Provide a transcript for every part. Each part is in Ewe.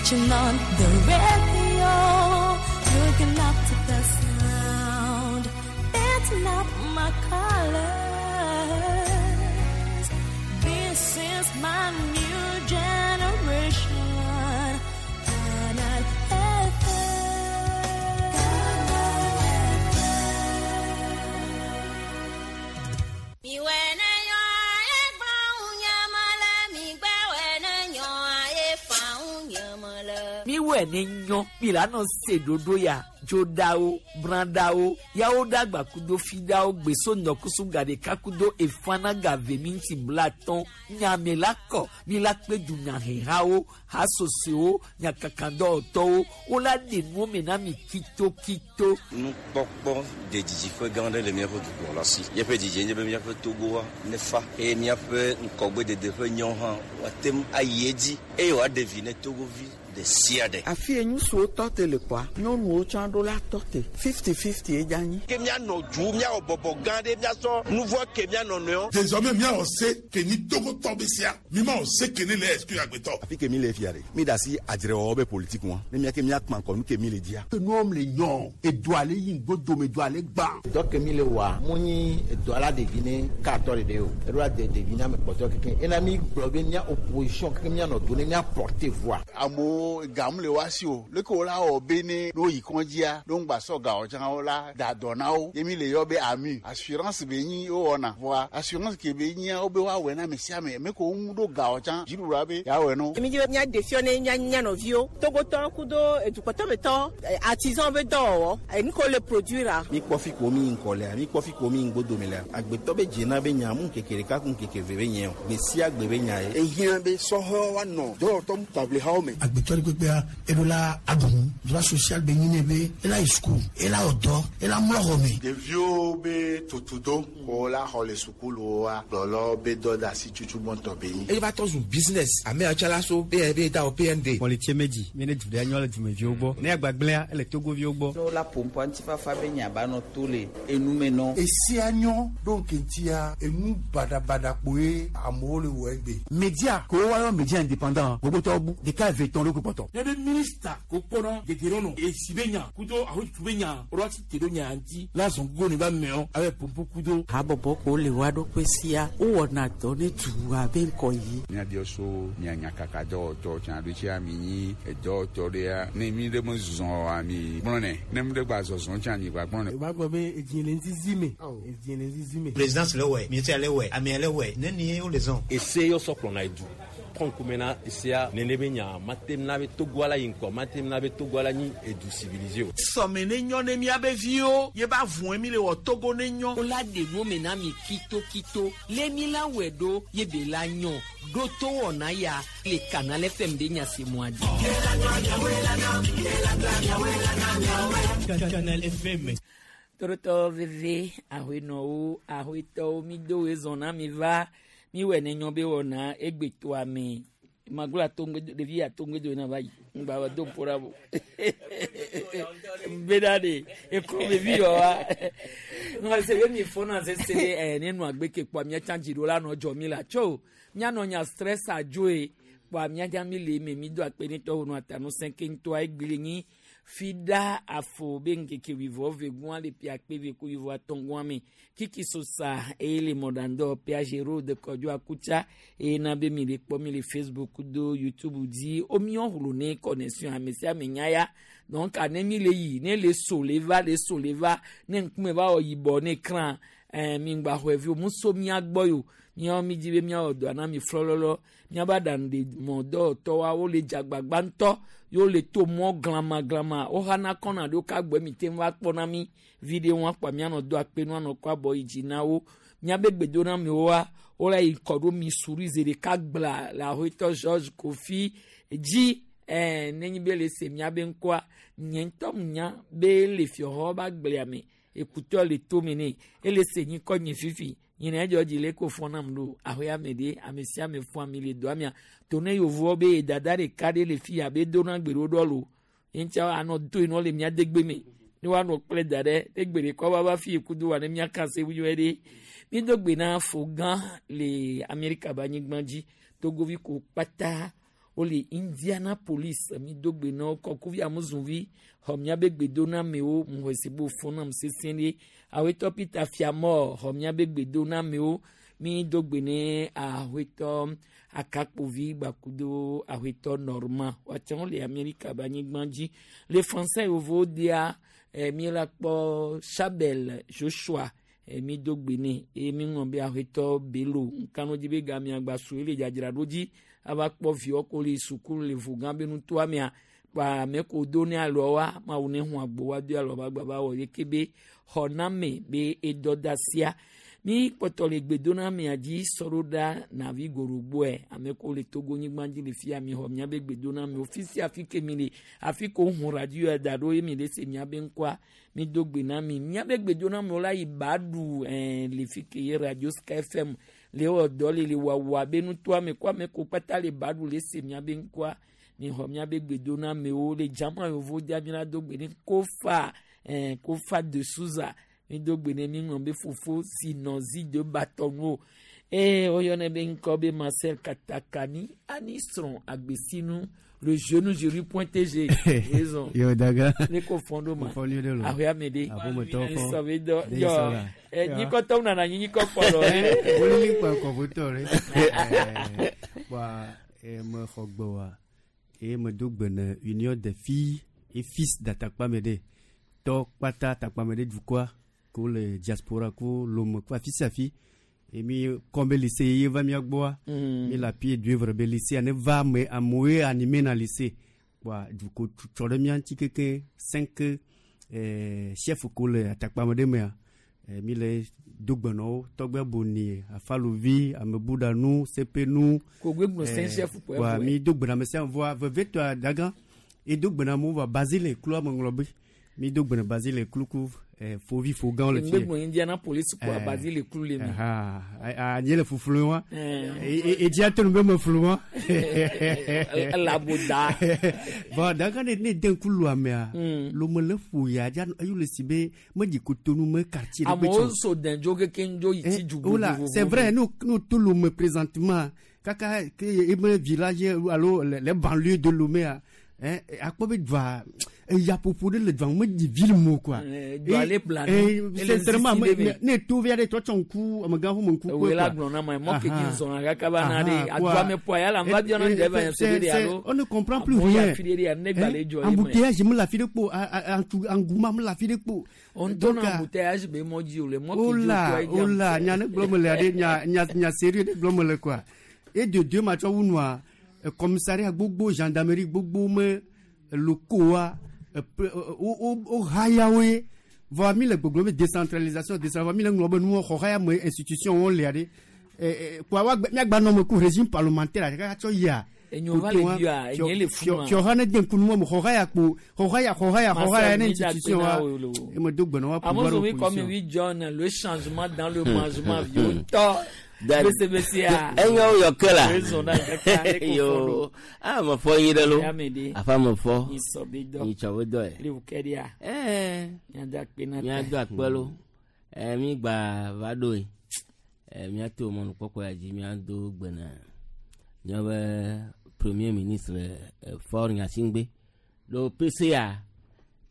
Switching on the radio, looking up to the sound. That's not my colors. This is my new generation. Canal Miwɔe ne nyɔ mi la nɔ se ɖoɖo ya dzoɖawo brãɖawo yawo ɖagba kudo fiɖawo gbeso ŋdɔkusu gaɖeka kudo efana gave minti blatɔn nyame la kɔ mi la kpe dunyahehawo hasosowo nyakakadɔwɔtɔwo wola ɖe nuwo me na mi kitokito. Nukpɔkpɔ de didiƒe gã aɖe le míaƒe dukplɔla si. Míaƒe didie nye be míaƒe Togoa nefa eye míaƒe ŋgɔgbedede ƒe nyawo hã woate ŋu ayi edzi eye wòaɖe vi ne Togovi ɖe sia ɖe. Afi ye ŋutsuwo tɔ te le kpɔa, nyɔnuwo tsã ɖo la tɔ te. Fifty-fifty ye dze anyi. Ke míanɔ du, míawɔ bɔbɔ gã ɖe, míasɔ nu vɔ̃ ke mía nɔnɔewo. Désormais míawɔ se ke nyi Togotɔ be sia. Mi mawɔ se ke ne le exclure agbetɔ. Afi ke mi le fia ɖe, mi da asi adzrewɔwɔ be politique ŋua, ne mía ke mía kpa ŋkɔ nu ke mi le dzia. Enuwo le nyɔ, edoa le yi ŋgbodome, doa le gbã. Dɔ ke mi le wɔa, mu nyi edoa la ɖevi ne katɔ ɖeɖe o, eɖo la de ɖevi ne ame kpɔtɔe kekeŋ. Ena mi gblɔ be mía opposition kekeŋ mía nɔ do ne mía porter voix. Amewo gam le woa si o, leke wo la wɔ be ne ne woyi kɔdzia, ne woŋgba sɔ ga o tsã wo la da dɔ na wo. Ye mi le yɔ be AMU, assurance be nyi wowɔna. Vɔa assurance ke be nyia wobe woawɔe na ame sia ame. Ame kewo ŋu ɖo ga o tsã, dziɖuɖua be yeawɔe na wo. Mi dzi be míaɖe fiɔ ne mía mía nɔviwo, Togotɔwo kudo edukpɔtɔmetɔ, artisan be dɔwɔwɔ, enu ke wole produire. Mi kpɔ fi ko mi yi ŋkɔ lea, mi kpɔ fi ko mi yi ŋgbodome lea. Agbetɔ be dzena be nya mu ŋkeke ɖeka ku ŋkeke eve be nye o. Gbe sia gbe be nya ye. Ehiã be sɔhɛwo woanɔ dɔwɔtɔ taʋlihawo me. Agbetɔ ɖe kpekpea, eɖo la aɖu nu. Droit social be nyi nɛ be ela yi suku, ela wɔ dɔ, ela mlɔ xɔ me. Ɖeviwo be tutudo ko la xɔ le sukuluwoa, kplɔlawo be dɔdeasi tutu gbɔntɔ be nyi. Eye va trɔ zu business ame yawo tsã la so be be da wɔ PND. Mɔlitsie medzi mi ne du ɖe nyɔ le dumeviwo gbɔ ne agbagblẽa ele togoviwo gbɔ. Ne wola ƒoƒua ŋutifafa be nya ba nɔ to le enume nɔ. Esia nyɔ ɖo ŋkeŋtia enu baɖabaɖa kpoe amewo le wɔ egbe. Media ko woayɔ media indépendant gbogbotɔwo bu ɖeka eve tɔn ɖo kpɔtɔ. Ne be minista ko kpɔnɔ dedienɔnɔ esi be nya kudo ahotutu be nya woɖo asi te ɖo nya ŋuti la zɔn gogo ne ba meɔ abe pompo kudo. Habɔbɔ ko le woa ɖokui sia wowɔna dɔ ne dua be ŋkɔ yi. Míabiɔ so mia nyakaka dɔwɔtɔ tsã ɖo tsia mi nyi edɔwɔtɔ ɖea ne mi ɖe me zɔ oa mi gblɔnɛ ne mi ɖe gba zɔzɔ tsã mi gba gblɔnɛ. O b'a gbɔ be edzi le ŋzizi me. Edzi le ŋzizi me. Présidence le wɛ, ministère le wɛ, amea le wɛ, ne ni wo le zɔn. Ese yɔ sɔ kplɔna edu. Trɔn kumena esea nene be nya matem na be Togoa la yi ŋkɔ matem na be Togoa la nyi edu civilisé o. Sɔme ne nyɔ ne miabe viwo ye ba vɔe mi le wɔ Togo ne nyɔ. Wola ɖe nuwo me na mi kitokito le mi la wɔe ɖo ye be la nyɔ ɖo to wɔna ya le Canal FM ɖe nya se mɔa dzi. Canal FM. Torotɔ veve ahoenɔwo ahoetɔwo mi do wezɔn na mi va mi wɔ ne nyɔ be wɔna egbetoa me maglo atongbe ɖevi atongbe do na va yi ŋgba va do ƒo ɖa bo bena de eklo ɖevi yɔ wa ŋa se be mi fɔna sese ɖe ɛ ne nu agbe ke kpɔa mía tsã dzi ɖo la nɔ dzɔ mi la tso míanɔ nya stress adzoe kpɔa mía dza mi le eme mi do akpe ne tɔwo nɔ atanu sẽ ke ŋutɔa egbe le nyi fi ɖa afɔ be ŋkeke wuivɔ ve gua le pia akpe ve ku wuivɔ atɔ̃ gua me kiki sosa eye le mɔɖaŋdɔ peage road kɔdzo akutsa eye na be mi le kpɔ mi le Facebook do YouTube dzi womiɔ hlo ne connexion ame sia ame nya ya donc ane mi le yi ne le so le va le so le va ne ŋkume va wɔ yibɔ ne kran ɛɛ mi ŋgba xɔe vi o muso mia gbɔ yo miawo mi dzi be miawɔ dɔa na mi flɔlɔlɔ miabe aɖaŋu ɖe mɔdɔwɔtɔwoa wole dzagbagba ŋutɔ ye wole to mɔ glama glama woxana kɔna ɖo ka gbɔ mi te va kpɔna mi vi ɖe ŋu akpa mianɔ do akpe nu anɔ kɔ abɔ yi dzi na wo miabe gbedoname woa wole yi kɔ ɖo mi suri zi ɖeka gbla le ahoetɔ George Kofi dzi ɛɛ nenyi be le se miabe ŋkɔa nye ŋutɔ nya be le fiɔxɔ ba gblea me ekutɔ le tome ne ele se nyi kɔ nye fifi nyina edzɔ dzi le ko fɔ nam ɖo ahoya me ɖe ame sia ame fɔ ami le dɔa mia to ne yevuwo be dada ɖeka ɖe le fi ya be dona gbe ɖo ɖɔ lo ŋutsa anɔ do yen le mia degbe me ne woanɔ kple da ɖe ne gbe ɖeka va va fi ekudo wa ne mia kan se wunyɔe ɖe mi do gbe na fo gã le Amerika be anyigba dzi togovi ko kpata. Wole Indianapolis mi do gbe na wo kɔkuvi amuzuvi xɔ miabe gbedonamewo muxɔse be wòfɔ nam sesẽ ɖe. Awetɔ Peter Fiamɔ xɔ miabe gbedonamewo mi do gbe ne awetɔ akakpovi gbakudo awetɔ Norma woatsɛ wole Amerika be anyigba dzi. Le français yevowo dea eh, mi la kpɔ Chabel Joshua eh, mi do gbe nɛ eye mi ŋlɔ be awetɔ Bello nkanu dzi be gamia gba su ele dzadzraɖo dzi ava kpɔ viwo ko le sukulu le vugã be nutoa mea kpa ame ko do ne alɔa mawu ne hu agbo wa do alɔ ba gba ba wɔ yeke be xɔname be edɔdasia mi kpɔtɔ le gbedonamea dzi sɔɖo ɖa navi gorogboe ame ko le togo nyigba dzi le fia mi xɔ miabe gbedonamewo fi sia fi ke mi le afi ko hu radio ya da ɖo ye mi le se miabe ŋkɔa mi do gbe na mi miabe gbedonamewo la yi ba ɖu ɛɛ le fi ke ye radio sky fm le wɔ dɔ le le wawa be nutoa me ko ame ko kpata le ba ɖu le se miabe ŋkɔa mi xɔ miabe gbedonamewo le dzama yovo dia mi la do gbe ne kofa ɛɛ kofa de souza mi do gbe ne mi ŋlɔ be fofo si nɔ zi de batɔnuwo eye woyɔnɛ be ŋkɔ be marcel katakani ani srɔ̃ agbesinu le jeune jury point tg raison Yo daga. ne ko fɔn ɖo ma Fɔn nyuie ɖe lo. ahoya me ɖe Aƒemetɔwo fɔn. sɔ be dɔ Ɖe yɔ sɔ la. ɛ nyikɔtɔwo nana anyi nyikɔ kpɔlɔ ye Wolili kpa kɔƒotɔ ɖe. Kpa me xɔ gbe wa eye medo gbe ne union des filles et fils d'Atakpame ɖe. Tɔ kpata Atakpame ɖe dukɔa ko le diaspora ko lome ko afi sia afi. Eye mi kɔn be lycée ye va mía gbɔa. Mi le api d'œuvre be lycée ne va ame amewoe animé na lycée. Kpa duko tsɔ ɖe mía ŋuti keke cinq chef ko le Atakpame ɖe mea. Mi le do gbe na wo tɔgbe boni afaluvi amebuɖanu sepenu. Kogbe gblɔ cinq chef kpɔ Wa eƒoe. mi do gbe na ame sia ame vɔa vevietɔa dagã edo gbe na amewo vɔa Basile klu ame ŋlɔ be mi do gbe na Basile klu ku fovi fogãwo le ŋgbe fie. gblɔ indianapolis kpɔ abazi le klu le mi Aha, a nye le fuflu wa. Eh. Edzi ate nu be me flu wa. Elaboda. Bon, dagã ne ne de ŋku lu amea, lome le ƒo ya dza eyo le si be medzi kotonu me quartier ɖe amewo kpe tsɔ. so dɛndzo keke ŋdzo yi tsi dzu Oula, vovovo. c'est vrai, nous, nous tout Lomé présentement, kaka, ke eme village alo les banlieues de Lomé, hein, akpɔ be dua, eyaƒoƒo ɖe le dua me dzi ville mo quoi. Eh, dua le plani, Eh, ele sincèrement, sisi me- ɖe me. ne to via ɖe tsɔtsɔ ŋku, amegã ƒe ŋku Ewoe la gblɔ na ma mɔ ke dzi zɔna kaka va na ɖe adua me ƒoa ya la va biɔ na ɖe va nya se ɖe ɖe alo On ne comprend plus amewo ya rien. fi ɖe ɖe ne gba le dzɔ ye me. Embouteillage me la fi ɖe kpo, engouement me la fi ɖe kpo. On Donc, tɔna embouteillage be mɔ dzi o le mɔ ke dzi Ola, o toa ye ola, nya ne gblɔ me le aɖe, nya, nya, nya sérieux ɖe gblɔ me le quoi. Et de deux matsɔ wu nua, commissariat gbogbo, gendarmerie gbogbo me locaux wo wo wo haya woe. Vɔa mi le gbogbo be décentralisation, décentralisation, mi le ŋlɔ be nuwo xɔ haya me institution wo le aɖe. Kpoa woagbe miagba nɔ me ku régime parlementaire aɖe kaka tsɔ yia. Enyo va le bia, enye le funu a. Fiɔha ne de ŋku nuwo me xɔ haya kpo, xɔ haya, xɔ haya, xɔ haya ne Marcel, mi da institution akpe wa. na wo le o. Eme do gbe na wa pouvoir Amozo mi kɔ mi opposition. wi John le changement dans le mangement vieux tɔ Da- besebesea. Enyo yɔ ke la. Raison na kaka ne ko fɔ Yo, do. a me fɔ yi ɖe lo. Ya me ɖe. Afa me fɔ. Nyi sɔ be dɔ. Nyi tsɔ be dɔ ye. Le wukɛ ɖia. Ɛɛ. Miado akpe na Míado ta. akpe lo. Ɛ mi gba va ɖo ye. Ɛ míato mɔnukpɔkpɔ ya dzi míado gbe na míaƒe premier ministre Faure Gnassingbé. Ɖo PCA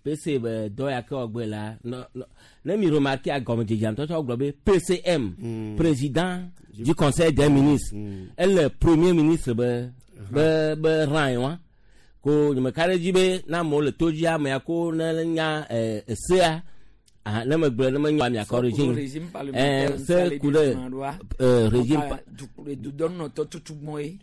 PC be dɔ ya ke wɔgbe la nɔ nɔ ne mi remarque agɔmedzedzea ŋutɔ tsɔ gblɔ be PCM président du conseil des ministres ele premier ministre be be be rang ye wa ko nyemeka ɖe dzi be na amewo le to dzi amea ko ne nya esea ah, ne megblɔ ne menya miakɔ Régime régime parlementaire se ku ɖe régime dudɔnɔtɔ tutugbɔn ye.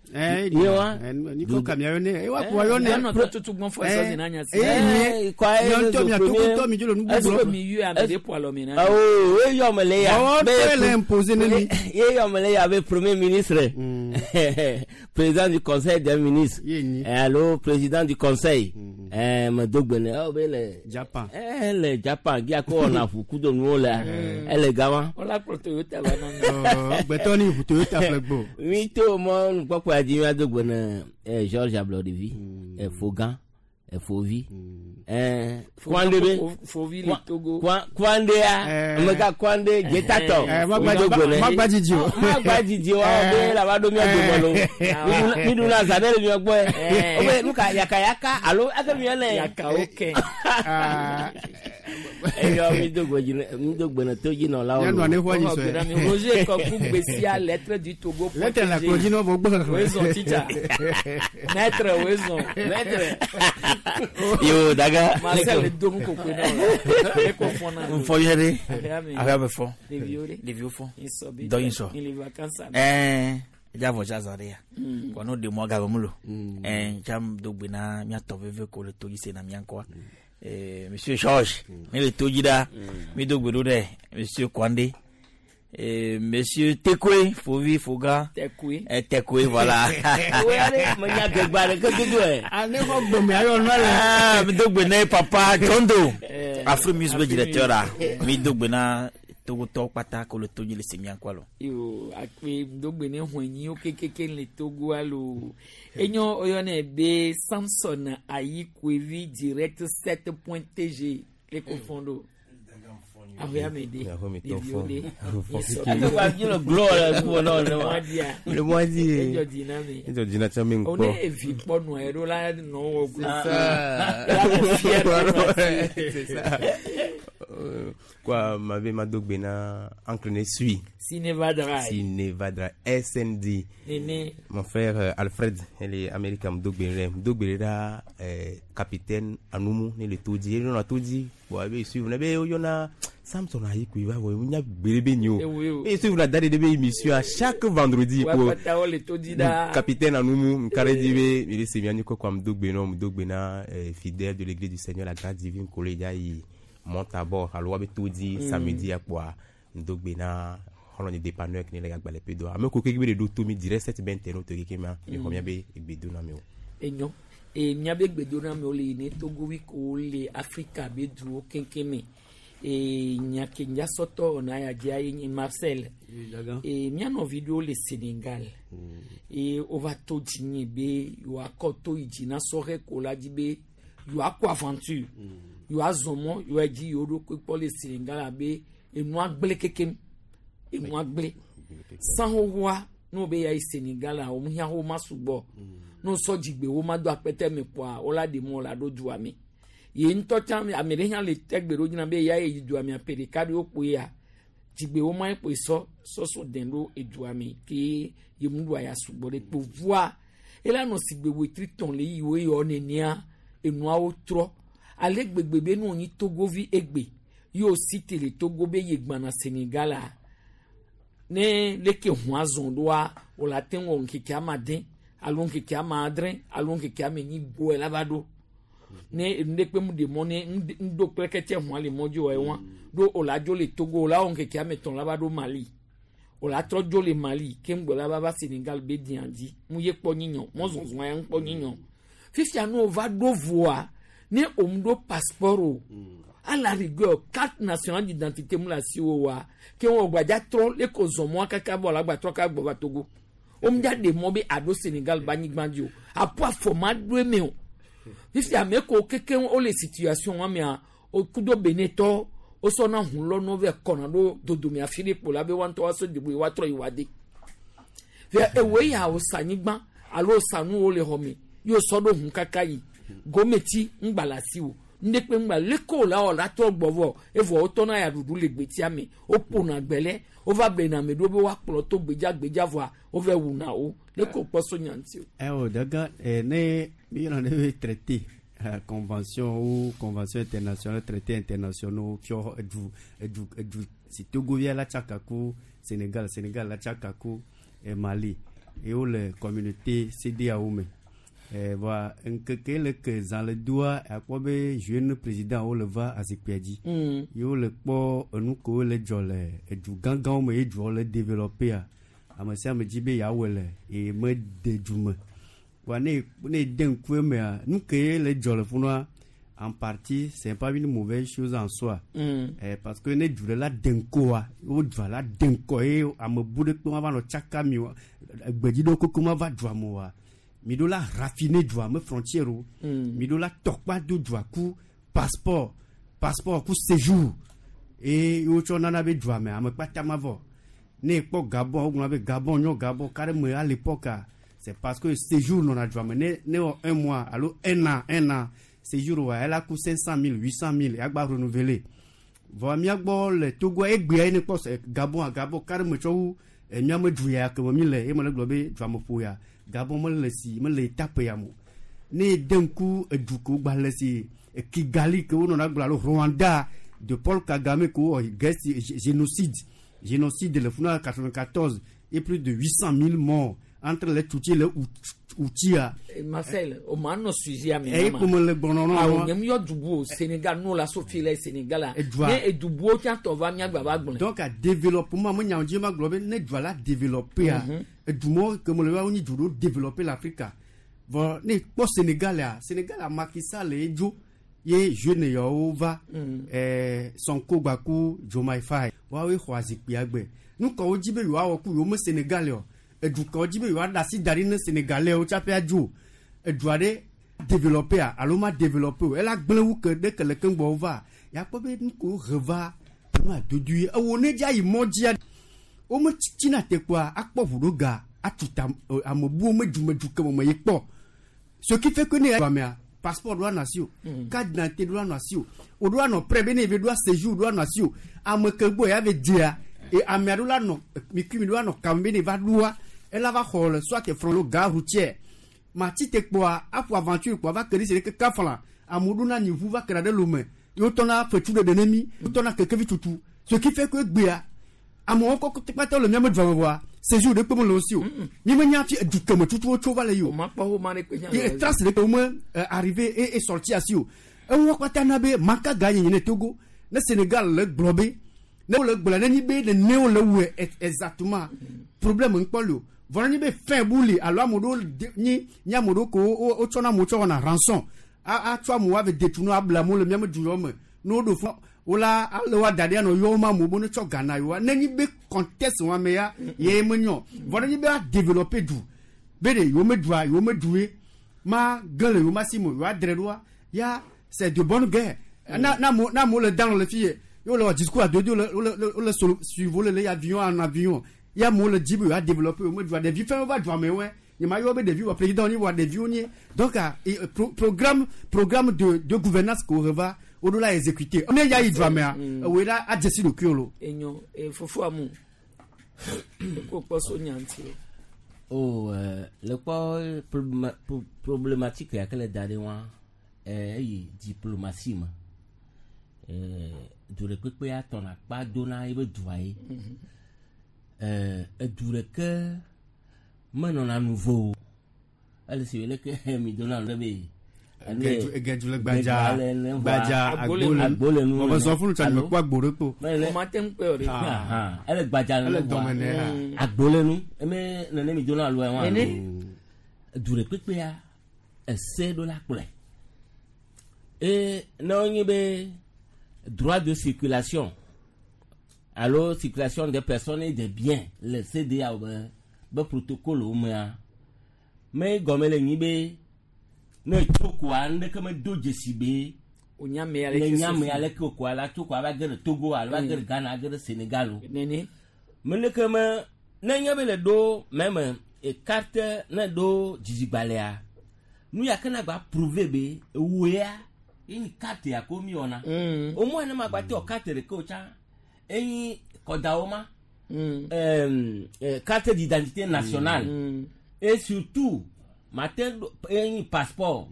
Ye wa? Niko kamia yɔnɛ, ewa kua yɔnɛ. Dudɔnɔtɔ tutugbɔn fɔ ɛsɔ zina nya si. Eh, quoi, Nyɔ ŋutɔ mia togotɔ mi dzo le nu Est-ce gbogbo. que mi yɔ ame ɖe ƒo alɔ mi na? Oh, eyɔ me le ya. Ɔ, Be- tɔe le imposer ne mi. Eyɔ me le ya be premier ministre. Président du conseil des ministres. Alo président du conseil. Eh, me do gbe ne oh be le Japan. Eh, le Japan gia ko wɔna ʋu kudo nuwo lea. Ele gama. Wọ́n kplɔ Toyota va na mi. Gbɛtɔ ni ʋu Toyota ƒle gbɔ. Mi to mɔ nukpɔkpɔ ya dzi miado gbe ne George Ablɔɖevi, Fogan, Efovi. Kwande be. Fovi le Togo. Kwande ya. Ameka Kwande jetatɔ. Magba dzidzi o. Magba dzidzi o. Awɔ be la va ɖo mía dome lo. Mi ɖuna zã ɖe le mía gbɔ yɛ. O be nu ka yakayaka alo eke mi yɔnɛ. Yakawo kɛ. Eyɔ mi do gbe dzi mi do gbe ne to dzi nɔlawo. Nyɔnua ne xɔ nyi sɔe. Roger Kɔku Gbesia lettre du Togo. Lettre la kplɔ dzi nɔ vɔ gbɔ xexlẽ. Wezɔn teacher. Maître wezɔn. Maître. Yo daga. Marcel do nu kokoe na o. Eko fɔna. Nfɔ yɛ de. Aƒea me fɔ. Ɖeviwo de. Ɖeviwo fɔ. Nsɔ bi. Dɔ yin sɔ. Ile vacances. Ɛɛ dza vɔ dza zã ɖe ya. Kɔ n'o de mɔ gave mu lo. Ɛɛ dza do gbe na miatɔ veve ko le to dzi se na mia ŋkɔa. Monsieur Georges, mi le to dzi ɖa. Mi do gbe ɖo ɖe Monsieur Kwande. Monsieur Tekwe, Fovi Foga. Tekwe. Tekwe, voilà. Menya gbegba ɖe ke dodo ɛ. Ale xɔ gbeme ayɔ nɔ le. Mi do gbe ne papa Jondo. Afri Music be directeur la. Mi do gbe na Togotɔwo kpata ko le to dzi le se mia ŋkɔa lo. Yo akpe dogbe ne huenyiwo kekeke le Togo alo. Enyo oyɔnɛ be Samson Ayikoevi direct 7.tg le ko fɔn do. Aƒea me de. Ɖeviwo de. Ate wa mi le glɔ le ŋkume na wo ne wa. Le mois di. Edzɔ dzi na mi. Edzɔ dzi na tsã mi O ŋkpɔ. ne evi kpɔ nua yi ɖo la nɔ wɔ C'est ça. C'est ça. Quoi, m'avait Madogbe na enclené suit. Sinevadra. Sinevadra. SND. Néné. Mon frère Alfred, il est américain, Mdogbe. Mdogbe là, capitaine Anumu, il est tout dit. Il a tout dit. Bon, il suit. Il y a Samson Ayiku, il va voir. Il y a Bérébé Nyo. Eh oui, oui. Et suivre la date de émission à chaque vendredi. Wa pour- pata wo le to di da. Capitaine Anumu, Mkare Dibe, il est Semiani Koko Mdogbe, non, Mdogbe na, fidèle de l'église du Seigneur, la grâce divine, Koleja, il monte à bord. Alors, on tout dit, samedi, à quoi, Mdogbe na, on est dépanneur, qui n'est pas le pédo. Ame ko keke be do to mi direct cette ben terno to keke ma, mi xɔ miabe egbedo na mi o. Enyo. E miabe gbedoname wo le yi ne Togovi ko le Afrika be duwo keŋkeŋ me. E nya ke nya sɔtɔ wɔna ya dzia ye nye Marcel. E mía nɔvi ɖewo le Senegal. E wova to dzinye be yewoakɔ to yi dzi na sɔhɛ ko la dzi be yewoakɔ aventure. Yewoazɔ mɔ yewoayi dzi yewo ɖokui kpɔ le Senegal abe enua gblẽ kekem. Enua gblẽ. San xoxoa ne wo be ya yi Senegal a wo hiã wo ma sugbɔ. Ne wosɔ dzigbe wo ma do akpɛtɛ me kpoa wo la ɖe mɔ la ɖo dua me. Ye ŋutɔ tsã ame ɖe hã le tɛgbe ɖo dzina be ya yi dua mea ƒe ɖeka ɖewo kpoe ya dzigbe wo ma kpoe sɔ sɔsɔ dɛn ɖo edua me ke ye mu ɖua ya sugbɔ ɖe kpo vua ela nɔ sigbe wetri tɔn le yi wo yɔ nenea enuawo trɔ ale gbegbe be ne wonyi Togovi egbe ye wo si te le Togo be ye gbana Senegal a ne leke ʋua zɔn ɖoa wòle ate ŋu wɔ ŋkeke ame ade alo ŋkeke ame adre alo ŋkeke ame enyi gbɔe la va ɖo ne enu ɖe kpe mu ɖe mɔ ne ŋdo kple kɛtɛ ʋua le mɔ dzi wɔ ewa ɖo wòle adzo le Togo wòle awɔ ŋkeke ame etɔ̃ la va ɖo Mali wòle atrɔ dzo le Mali ke ŋgbɔ la va va Senegal be diã dzi mu ye kpɔ nyinyɔ mɔzɔzɔn ya ŋkpɔ nyinyɔ fifia ne wova ɖo voa ne òmu ɖo passeport o à la rigueur carte nationale d'identité mu le asi wo wa ke wɔ gbadza trɔ le ko zɔn mɔa kaka bɔ la gba trɔ ka gbɔ va Togo wo dza ɖe mɔ be aɖo Senegal ba anyigba dzi o apo afɔ ma ɖo eme o fifia ame ko keke wo le situation wa mea o kudo Benetɔ wosɔna ʋu lɔ vɛ kɔna ɖo dodome afi ɖe kpo la be woa ŋutɔ woasɔ degbo ye woatrɔ yi woa de fia ewoe ya wosa anyigba alo wosa nuwo le xɔ me ye wosɔ ɖo ʋu kaka yi gometi ŋgba le asi o ŋdekpe ŋgba leke la wɔ la trɔ gbɔ vɔ evɔ wotɔna ya ɖuɖu le gbetia me woƒona gbɛlɛ wova blena ame ɖewo be woakplɔ to gbedza gbedza vɔa wova wuna wo leke wokpɔ so nya ŋuti o. Eh, daga ne mi yɔrɔ ne be traité convention ou convention internationale traité internationaux fiɔ edu edu edu si Togovia la tsaka ku Sénégal Sénégal la tsaka ku Mali ye wole communauté CEDEAO me. Voa ŋkeke le ke zã le doa akpɔ be jeune président wo le va azikpuia dzi. Ye wole kpɔ enu kewo le dzɔ le edu gãgãwo me ye duawo le développé-a ame sia ame dzi be yeawɔe le ye mede du me. Voa ne ne de ŋku emea nu ke le dzɔ le funua en partie c'est pas une mauvaise chose en soi. Parce que ne du ɖe la de ŋkɔa wo dua la de ŋkɔ ye ame bu ɖe kpe ma va nɔ tsaka mi o gbedzi ɖewo koko ma va dua me oa. Mi ɖo la raffiner dua me frontière o. Mi ɖo la tɔkpa do dua ku passeport, passeport ku séjour. Eye wotsɔ nana be dua me ame kpata ma vɔ. Ne ekpɔ Gabon, wogblɔ be Gabon nyɔ Gabon carrément à l'époque, c'est parce que séjour nɔna dua me ne ne wɔ un mois alo un an séjour wa ela ku 500 000, 800 000 agba renouveler. Vɔ míagbɔ le Togo egbea ye ne kpɔ se Gabon a Gabon carrément tsɔ wu míame du ya ke me mi le ye me le gblɔ be dua me ƒo ya Gabon mele si mele etape ya mo. Ne de ŋku edu ke wogba le si Kigali ke wonɔna gblɔ alo Rwanda de Paul Kagame ke wowɔ guerre génocide le funa 94 et plus de 800 000 morts entre les Tutsis et les Hutus. Marcel, o ma nɔ sujet ame Eyi ko me le gbɔnɔ nɔ Awo nye mu yɔ dubu o Sénégal n'o la so fi le Sénégal la. Edua. Ne edubuwo tsã tɔ va míagba va gblɔe. Donc a développement me nyawo dzi ma gblɔ be ne dua la développé a edumɔ ke me le wa wonyi du ɖewo développé le Afrika. Vɔ ne kpɔ Sénégal a Sénégal a Macky Sall ye dzo ye jeune yawo va Sonko gbaku Diomaye Faye woawoe xɔ azikpuia gbe. Nu ka wodzi be yewoawɔ ku yewo me Sénégal o. Edu ka wodzi be yewoaɖe asi da ɖi ne Sénégalais tsaƒe adzo. Edua ɖe développé a alo ma développé o ela gblẽ wu ke ɖe ke le keŋgbɔ wova yakpɔ be nu ko he va nu adodoe ewo ne dza yi mɔ dzia wome tsitsina te kpoa akpɔ ʋu ɖo ga atu ta ame buwo me dumedu ke me yi kpɔ ce qui fait que ne ya mea passeport ɖo anɔ asi o carte d'identité ɖo anɔ asi o o ɖo anɔ prêt be ne eve ɖo séjour ɖo anɔ asi o ame ke gbɔ ya ve dzea e amea ɖo la nɔ mikui mi ɖo anɔ kame be ne va ɖoa ela va xɔ le soit front lo gare routière mati te kpoa aƒo aventure kpoa va ke ɖe si ɖe keka fla amewo ɖo na nyi ʋu va ke ɖe lome ye wotɔna fetsu ɖeɖe ne mi wotɔna kekevi tutu ce qui fait que egbea amewo kɔ kpata le miame dua me vɔa séjour ɖe kpe me le wo si o mi me nya fi edu keme tutu wotso va le yi o O ma kpɔ wo ma ɖe kpe ye trace ɖe ke wo me arrivé et sorti asi o eŋua kpata na be maka ga nyenye ne Togo ne Sénégal le gblɔ be ne wole gblɔ ne nyi be nene wole wɔe exactement problème ŋkpɔ li o vɔ ne nyi be fɛn bu li alo ame ɖewo nyi nye ame ɖewo ko wotsɔna amewo tsɔ wɔna rançon atsɔ amewo ave detunu able amewo le miame du yɔ me ne woɖo fɔ wola ale wa da ɖi anɔ yɔ wo ma amewo be ne tsɔ gana yewoa ne nyi be contexte wa me ya ye me nyɔ vɔ ne nyi be a développer du be ɖe yewo me dua yewo me du ye ma ge le yewo ma si me yewoa dre ɖoa ya c'est de bonne guerre na na amewo na amewo le dan le fi ye ye wole wɔ discours adodo le wole wole solo suivre wole le avion en avion ya amewo le dzi be yewoa développer yewo me dua ɖevi fɛn va dua me wɔe nye ma yɔ be ɖevi wɔ président ni wɔ ɖeviwo nye donc programme de gouvernance ko va woɖo la exécuter ne ya yi dua mea ewoe la adze si ɖokuiwo lo. Enyo fofo amu eko kpɔ so nya ŋuti o. O le kpɔ problématique ya ke le da ɖe wa eyi diplomatie me du ɖe kpekpe atɔna kpa dona ebe dua ye edu ɖeke menɔna nuvo o ele si wele ke mi dona nu ɖe be Egedzu le gbadza gbadza agbo le nu ɔbɛ zɔ funu tsa mekpɔ agbo ɖe kpo. O ma te ŋu kpe o ɖe. Ele gbadza ele dɔme nɛ ya. Agbo le nu eme nene mi dona alo wa. Du ɖe kpekpea ese ɖo la kplɔe. E ne wonye be droit de circulation alo circulation des personnes et des biens le CEDEAO be protocole wo mea me gɔme le nyi be ne tso koa ŋɖeke me do dzesi be Onyame ale ne ke nyame so ale ke koa la tso koa va ge ɖe Togo alo va ge ɖe Ghana ge ɖe Sénégal o. Nene. Me leke me ne nye be le ɖo meme carte ne ɖo dzidzigbalẽa nu ya ke na gba prouver be ewoea ye nyi carte ya ko mi wɔna. Au moins ne ma gba te wɔ carte ɖeke o tsã enyi kɔdawo ma. Carte d'identité nationale et surtout ma te ɖo enyi passeport.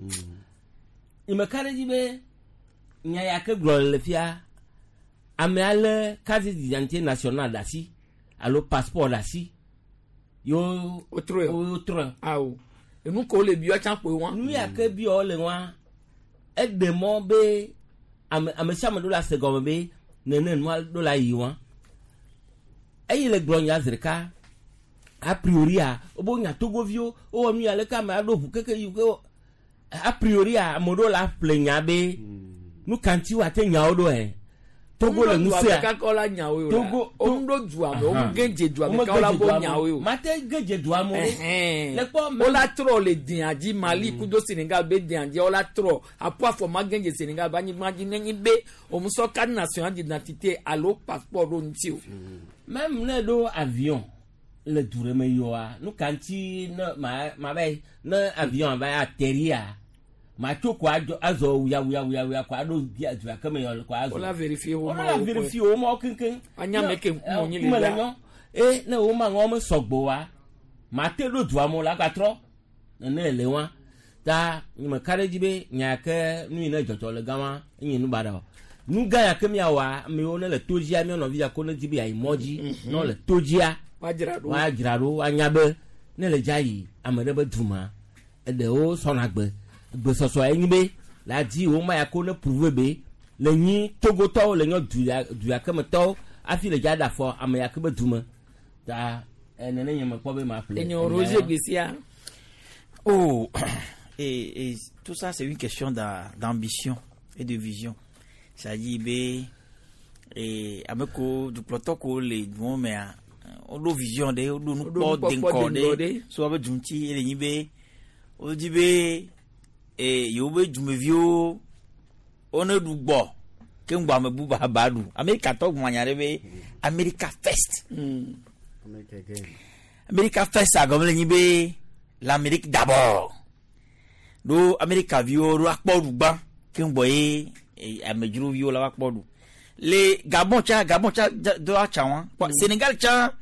Ime ka ɖe dzi be nya ya ke gblɔ le fia ame ale carte d'identité nationale ɖe asi alo passeport ɖe asi yewo Wotrɔe. wotrɔe. Awo. Enu ko le biɔ tsã kpoe wa. Nu ya ke biɔ le wa eɖe mɔ be ame sia ame ɖo la se gɔme be nene nua ɖo la yi wa. Eyi le gblɔ nya zi ɖeka a priori a wobe nya togoviwo wowɔ nu ya leke ame aɖo ʋu keke yi ke a priori a ame ɖewo la ƒle nya be nu ka ŋuti woate nyawo ɖo ɛ. Togo le ŋusẽa. Kaka la nyawo o. Togo o ŋdo dua me, o ge dze dua me, kawo la bo nyawo o. Mate ge dze dua me. Ɛhɛn. Le kpɔ O la trɔ le diã dzi Mali kudo Senegal be diã dzi o la trɔ apo afɔ ma ge dze Senegal be anyigba dzi nenye be o musɔ carte nationale d'identité alo passeport ɖo ŋuti o. Même ne ɖo avion le du ɖe me yɔa, nu ka ŋuti ne ma ma va yi ne avion va atterrir ma tso ko adzɔ azɔ wuya wuya wuya wuya ko aɖo dia du ya ke me yɔ ko azɔ. O la vérifier wo O la vérifier wo ma keŋkeŋ. Anya me ke ŋkume nyi le ŋkume le ɖa. nyɔ. E ne wo ma ŋɔ me sɔgbɔ wa, ma te ɖo dua me o la gatrɔ. Nene le wa. Ta nye me ka ɖe edzi be nya ke nu yi ne dzɔdzɔ le gama enye nu baɖa o. Nu gã ya ke miawɔa, amewo ne le to dzia, mía nɔvi ya ko ne di be yeayi mɔ dzi, ne wole to dzia, Woadzra ɖo. woadzra ɖo, woanya be ne le dza yi ame ɖe be duma, eɖewo sɔna gbe. Gbesɔsɔ ye nyi be la di wo ma ya ko ne prouver be le nyi Togotɔwo le nyɔ du ya du ya ke me tɔwo hafi le dza ɖe afɔ ame ya ke be dume. Ta nene nye me kpɔ be ma ƒle. Enyo Roger Gbessia. Oh, et tout ça, c'est une question d'ambition et de vision. C'est-à-dire, be, et avec du protocole, les mais on a vision de, on a Woɖo nous nukpɔkpɔ porte deŋgɔ d'encodé, ɖe. soit avec Junti et les Nibé, on dit, be, et yobe Jumevio, on est du bon. Ke ŋgbɔ ame bubu aba ɖu. Amerika tɔ gbɔn anya ɖe be America first. America first agɔme le nyi be l'Amérique d'abord. Ɖo Amerika viwo ɖo akpɔ ɖu gbã ke ŋgbɔ ye amedzroviwo la va kpɔ ɖu. Le Gabon tsa Gabon tsa do atsa wa. Sénégal tsa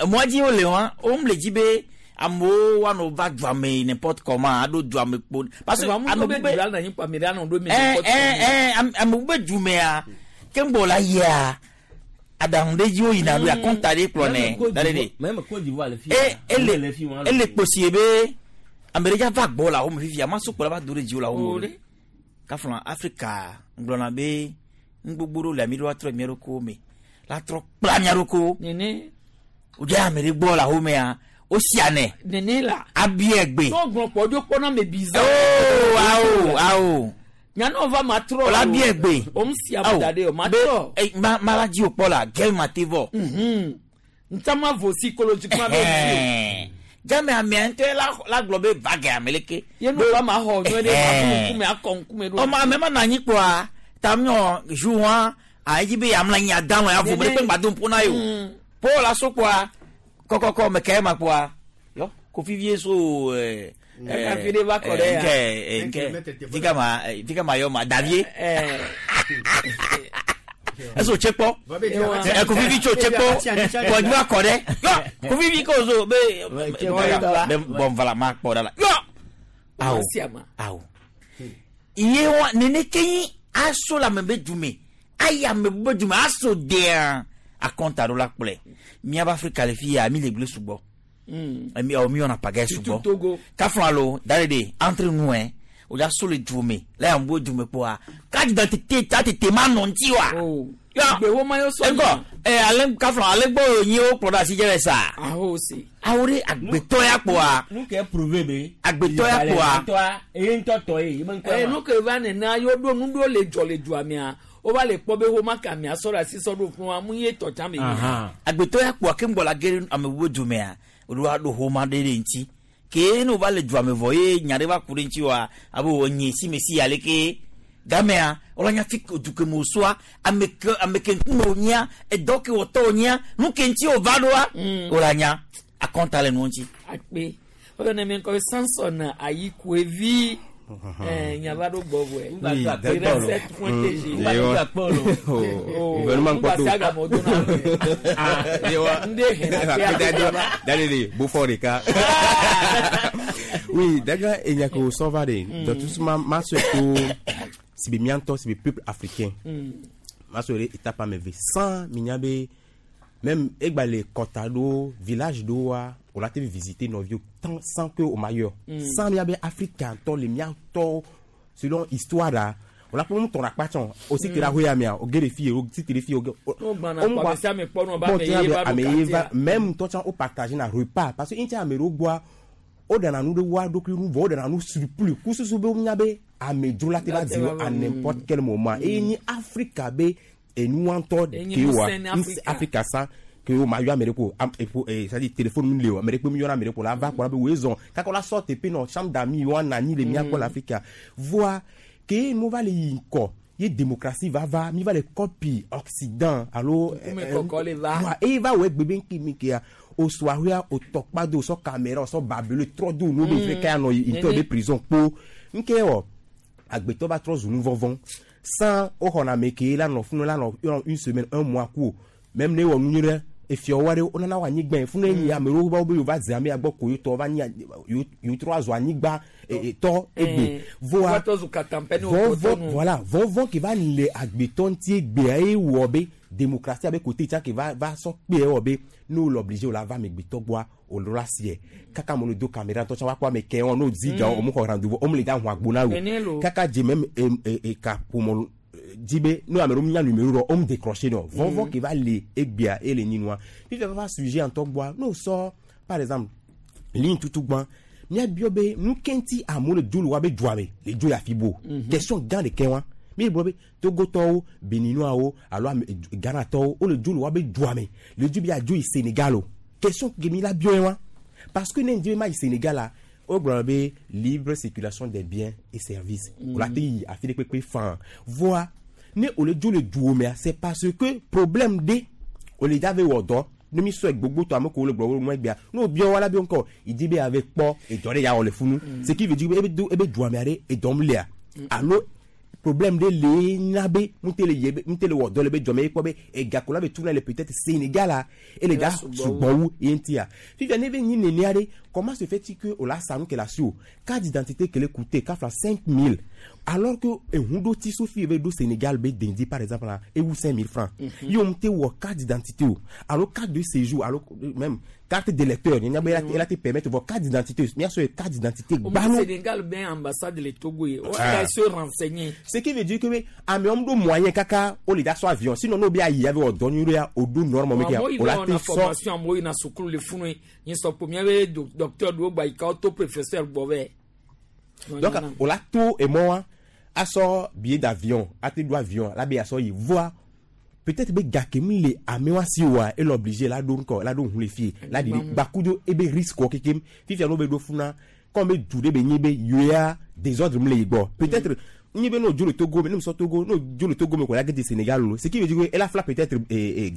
emɔa dzi wole wa wo le dzi be amewo woanɔ va dua me n'importe comment aɖo dua me kpo. Parce que ame bu be dua na nyi kpo ame ɖe anɔ ɖo me ɛ n'importe ɛ comment. ɛ ame bu be dumea ke ŋgbɔ la yia aɖaŋu ɖe dzi woyina ɖo akɔnta ɖe kplɔ nɛ da ɖe ɖe. Même Côte d'Ivoire le fi. E ele le fi wa. ele kposie be ame ɖe dza va gbɔ le awo me fifia ma sokpo la va do ɖe dziwò le awo me o ɖe. Kafla Afrika ŋgblɔna be nu gbogbo ɖewo le ami ɖo atrɔ mía ɖokuiwo me la trɔ kpla mía ɖokuiwo. Nene. Wodze ame ɖe gbɔ le awo mea wosia nɛ. Nene la. Abia gbe. N'o gblɔ kpɔ dzo kpɔ na me bizarre. Oo awo awo. Nyanɔ va ma trɔ. Wòle abia gbe. O mu si ame da ɖe o ma trɔ. Be ma ma la dzi wò kpɔ la gel ma te vɔ. Ntama vo psychologiquement be dzi Ɛhɛn. Game amea ŋutɔ la la gblɔ be va ge ame leke. Ye nu va ma xɔ nyuie ɖe ma fún ŋkume akɔ ŋkume ɖo. Ɔmɔ ame ma nɔ anyi kpɔa ta miɔ ju wa ayi dzi be yamla anyi ada lɔ ya vo be ɖe kpe ŋgba do ŋpo na ye o. Paul aso kpɔa kɔkɔkɔ me kɛ ma kpɔa yɔ kofi vie so ɛɛ. Kaka fi ɖe va kɔ ɖe ya. Nkɛ nkɛ fika ma fika ma yɔ ma Davier. Ɛsɛ o tse kpɔ ɛ kofi vi tso tse kpɔ kɔjú va kɔ ɖe yɔ kofi vi ko so be be bɔn vala ma kpɔ ɖa la yɔ awo awo iye wa nene ke nyi aso le ame be dume ayi ame be dume aso dea akɔnta ɖo la kplɔe miaba Afrika le fi ya mi le gble sugbɔ mi ɔ mi wɔna pagaille sugbɔ Togo. kafla alo da ɖe ɖe entre nous hein o ya so le dume le yan bo dume kpɔa carte d'identité ta tete ma nɔ ŋuti wa. Gbe wo ma yɔ sɔ Ŋkɔ ɛ ale kafla ale gbɔ nyi wo kplɔ ɖe asi dze le sa. Aho si. Awo ɖe agbetɔ ya kpɔa. Nu ke prouver be. Agbetɔ ya kpɔa. Tɔa eye ŋutɔ tɔ ye. Ebe ŋkɔ Ɛ ma. nu ke va nena yɔ ɖo nu ɖo le dzɔ le dua mea o va le kpɔ be wo ma ka mea sɔ ɖe asi sɔ ɖo fún wa mu ye tɔ tsã me yi. Agbetɔ ya kpɔa ke ŋgbɔ la ge ɖe ame bubu dumea o ɖo aɖo xɔma ɖe ɖe ŋuti ke ne wova le dua me vɔ ye nya ɖe va ku ɖe ŋuti wa abe wò nye si me si ya leke gamea wòle nya fi du ke me wòsɔa ame ke ame ke ŋkume wònyia edɔ ke wòtɔ wònyia nu ke ŋuti wòva ɖoa wòle nya akɔnta le nuwo ŋuti. Akpe o yɔ ne mi ŋkɔ Samson Ayikuevi nyava ɖo gbɔ vɔe. Oui, d'accord. Recette point TG. Oh, gouvernement Ngba kpɔtɔ. si agamɔ do na. Yewa. Nde hɛn akpe Akpe Dalele, Beaufort ɖeka. Oui, d'accord, enya ke wòsɔ va ɖe. Donc tout ma ma sɔe to si be mía ŋutɔ si be peuple africain. Ma sɔe ɖe étape ame eve sans mi nya be même egba le kɔta ɖewo village ɖewoa o la te visiter nɔviwo tant sans que o ma yɔ. Sans mía be Afrika ŋutɔ le mía ŋutɔ selon histoire la o la kpɔ nu tɔn akpa tsɔn o si te ɖe ahoya mea o ge ɖe fi ye o si te ɖe fi ye o ge. N'o gbana kpɔ ame sia ame kpɔ nɔ ba Bon, ame tiens, ye va ɖo ame ye va quartier. même ŋutɔ tsã o partage na repas parce que ŋuti ame ɖewo gbɔa o ɖana nu ɖe woa ɖokui nu vɔ o ɖana nu surplus kususu be wonya be amedzro la te va zi wo à n'importe quel moment eye nyi Afrika be Enuwa ŋutɔ Enyi ke wa ŋusẽ ne Afrika. Afrika sa ke wo ma yɔ ame ɖe ko am eƒo ee c'est à dire téléphone mi le o ame ɖe kpe mi yɔna ame ɖe ko la va kpɔ la be woe zɔn kaka la sɔ teƒe nɔ chambre d'amis wa na anyi le mía gbɔ le Afrika voa ke nu va le yi ŋkɔ ye démocratie va va mi va le copie Occident alo Ŋkume kɔkɔ le va. Voa eye va wɔ egbe be ŋki mi kea o sɔ ahoea o tɔkpa do o sɔ caméra o sɔ babelo trɔ do nu be fi ka nɔ yi ŋutɔ be prison kpo ŋke wɔ agbetɔ va trɔ zu nu vɔvɔ̃ sans woxɔna ame ke la nɔ funu la nɔ yɔrɔ une semaine un mois ku o même ne wɔ nu nyui ɖe efiawo aɖe wonana wo anyigba yi funu enyi ame ɖewo va wo be yewo va ze amea gbɔ ko yewo tɔ va nyi yewo trɔ azu anyigba tɔ egbe voa Woatɔ zu katampe ne wotɔ vɔvɔ nu. voilà vɔvɔ ke va le agbetɔ ŋuti egbea ye wɔ be démocratie abe côté tsã ke va va sɔ kpe wɔ be ne wole obligé wòle ava amegbetɔ gbɔa wòle la sie kaka amewo le do caméra ŋutɔ tsã woakpɔ ame ke wɔn ne wodi ga wo xɔ rendez-vous wo le da hu agbo na wo Nene lo. Kaka dze même ekaƒomɔ dzi be ne ame ɖewo nya numéro ɖɔ wo mu décroché nɔ vɔvɔ ke va le egbea ele nyi nua fifia va va sujet ŋutɔ gbɔa ne wosɔ par exemple ligne tutu gbã míabiɔ be nu ke ŋuti amewo le dzo le woabe dua me le dzo yi afi bo. Question gã ɖeke wa mi gblɔ be Togotɔwo, Beninoawo alo ame Ghanatɔwo wole dzo le woabe dua me le dzo be yeadzo yi Sénégal o. Question ke mi la biɔ ye wa parce que ne ŋdi be ma yi Sénégal la wogblɔ be libre circulation des biens et services wòle ate yi afi ɖe kpekpe faa voa ne wòle dzo le duwo mea c'est parce que problème ɖe wòle dza ve wɔ dɔ ne mi sɔe gbogbo tɔ ame ko wole gblɔ wo nua egbea ne wobiɔ wa la be ŋkɔ yi be ave kpɔ edɔ ɖe ya wɔ le funu. Ce qui veut dire be ebe do ebe dua mea ɖe edɔ m lea alo problème ɖe le na be ŋute le ye be ŋute le wɔ dɔ le be dua me ye kpɔ be ega ko la be tuna le peut-être Sénégal la ele dza sugbɔ wu ye ŋutia fifia ne be nyi nenea ɖe comment se fait-il que o la sa nu ke le asi o carte d'identité ke le coûter kafla 5000 alors que ehun ɖo ti sofi be ɖo Sénégal be dendi par exemple la ewu 5000 francs. Ye wo ŋute wɔ carte d'identité o alo carte de séjour alo même carte d'électeur nyanya be ela te permettre vɔ carte d'identité miasɔ ye carte d'identité Au gbalo. Sénégal ben ambassade le Togo ye. On Ah. va se renseigner. Ce qui veut dire que be amewo ɖo moyen kaka wole da sɔ avion sinon n'o be ayi ave wɔ dɔ nyui ɖe ya o ɖo norme me ke ya Amewo yi o la va te wɔna sɔ formation amewo yina sukulu le funu ye. Nyi sɔ kpo miabe docteur ɖewo gba yi ka woto professeur gbɔ vɛ. Donc o la to emɔ wa asɔ billet d'avion ate ɖo avion la be asɔ yi voa peut-être be gake mi le amewa si wa ele obligé la ɖo ŋkɔ la ɖo ŋu le fie la ɖi gbakudo ebe risque wɔ kekem fifia n'o be ɖo funa comme be du ɖe be nyi be yoya désordre mi le yi gbɔ peut-être nyi be n'o dzo le Togo me ne musɔ Togo n'o dzo le Togo me ko la ge de Sénégal o ce qui veut dire que ela fila peut-être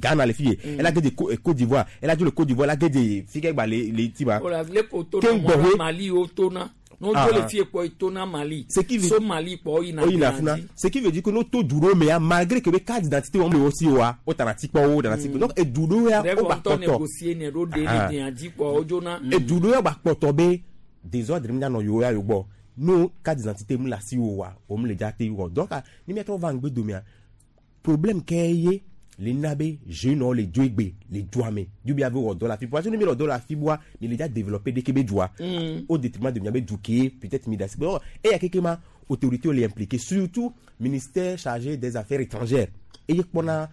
Ghana le fie ela ge de Côte d'Ivoire ela dzo le Côte d'Ivoire ela ge de fi ke gba le le ti ma O la le ko to Ke na ŋgbɔ mɔ hoe. Mali wo to na. N'o Ah, dzo le ah. fie kpɔ yi to na Mali. Ce qui veut- So Mali kpɔ yina o yina Ghana funa dzi. ce qui veut dire que n'o to du ɖewo mea malgré que be carte d'identité wɔm le wo si wa o tana ti kpɔ wo tana ti kpɔ donc edu ɖewo ya Rêve wo gba ŋutɔ kpɔtɔ négocier ne ɖo de Ah. ne dea dzi kpɔ wo dzona. edu ɖewo ya gba kpɔtɔ be désordre mi nanɔ yewo ya yewo gbɔ no carte d'identité mu le asi wo wa o mu le dza te wɔ donc ni miatrɔ va ŋgbe domea problème ke ye le na be jeune le dzo egbe le dua me du bi ave wɔ dɔ la fi parce que ne mi le dɔ la fi boa mi le dza développer ɖeke be dua au détriment de miabe du ke peut-être mi da si bon eya keke ma autorité le impliqué surtout ministère chargé des affaires étrangères eye kpɔna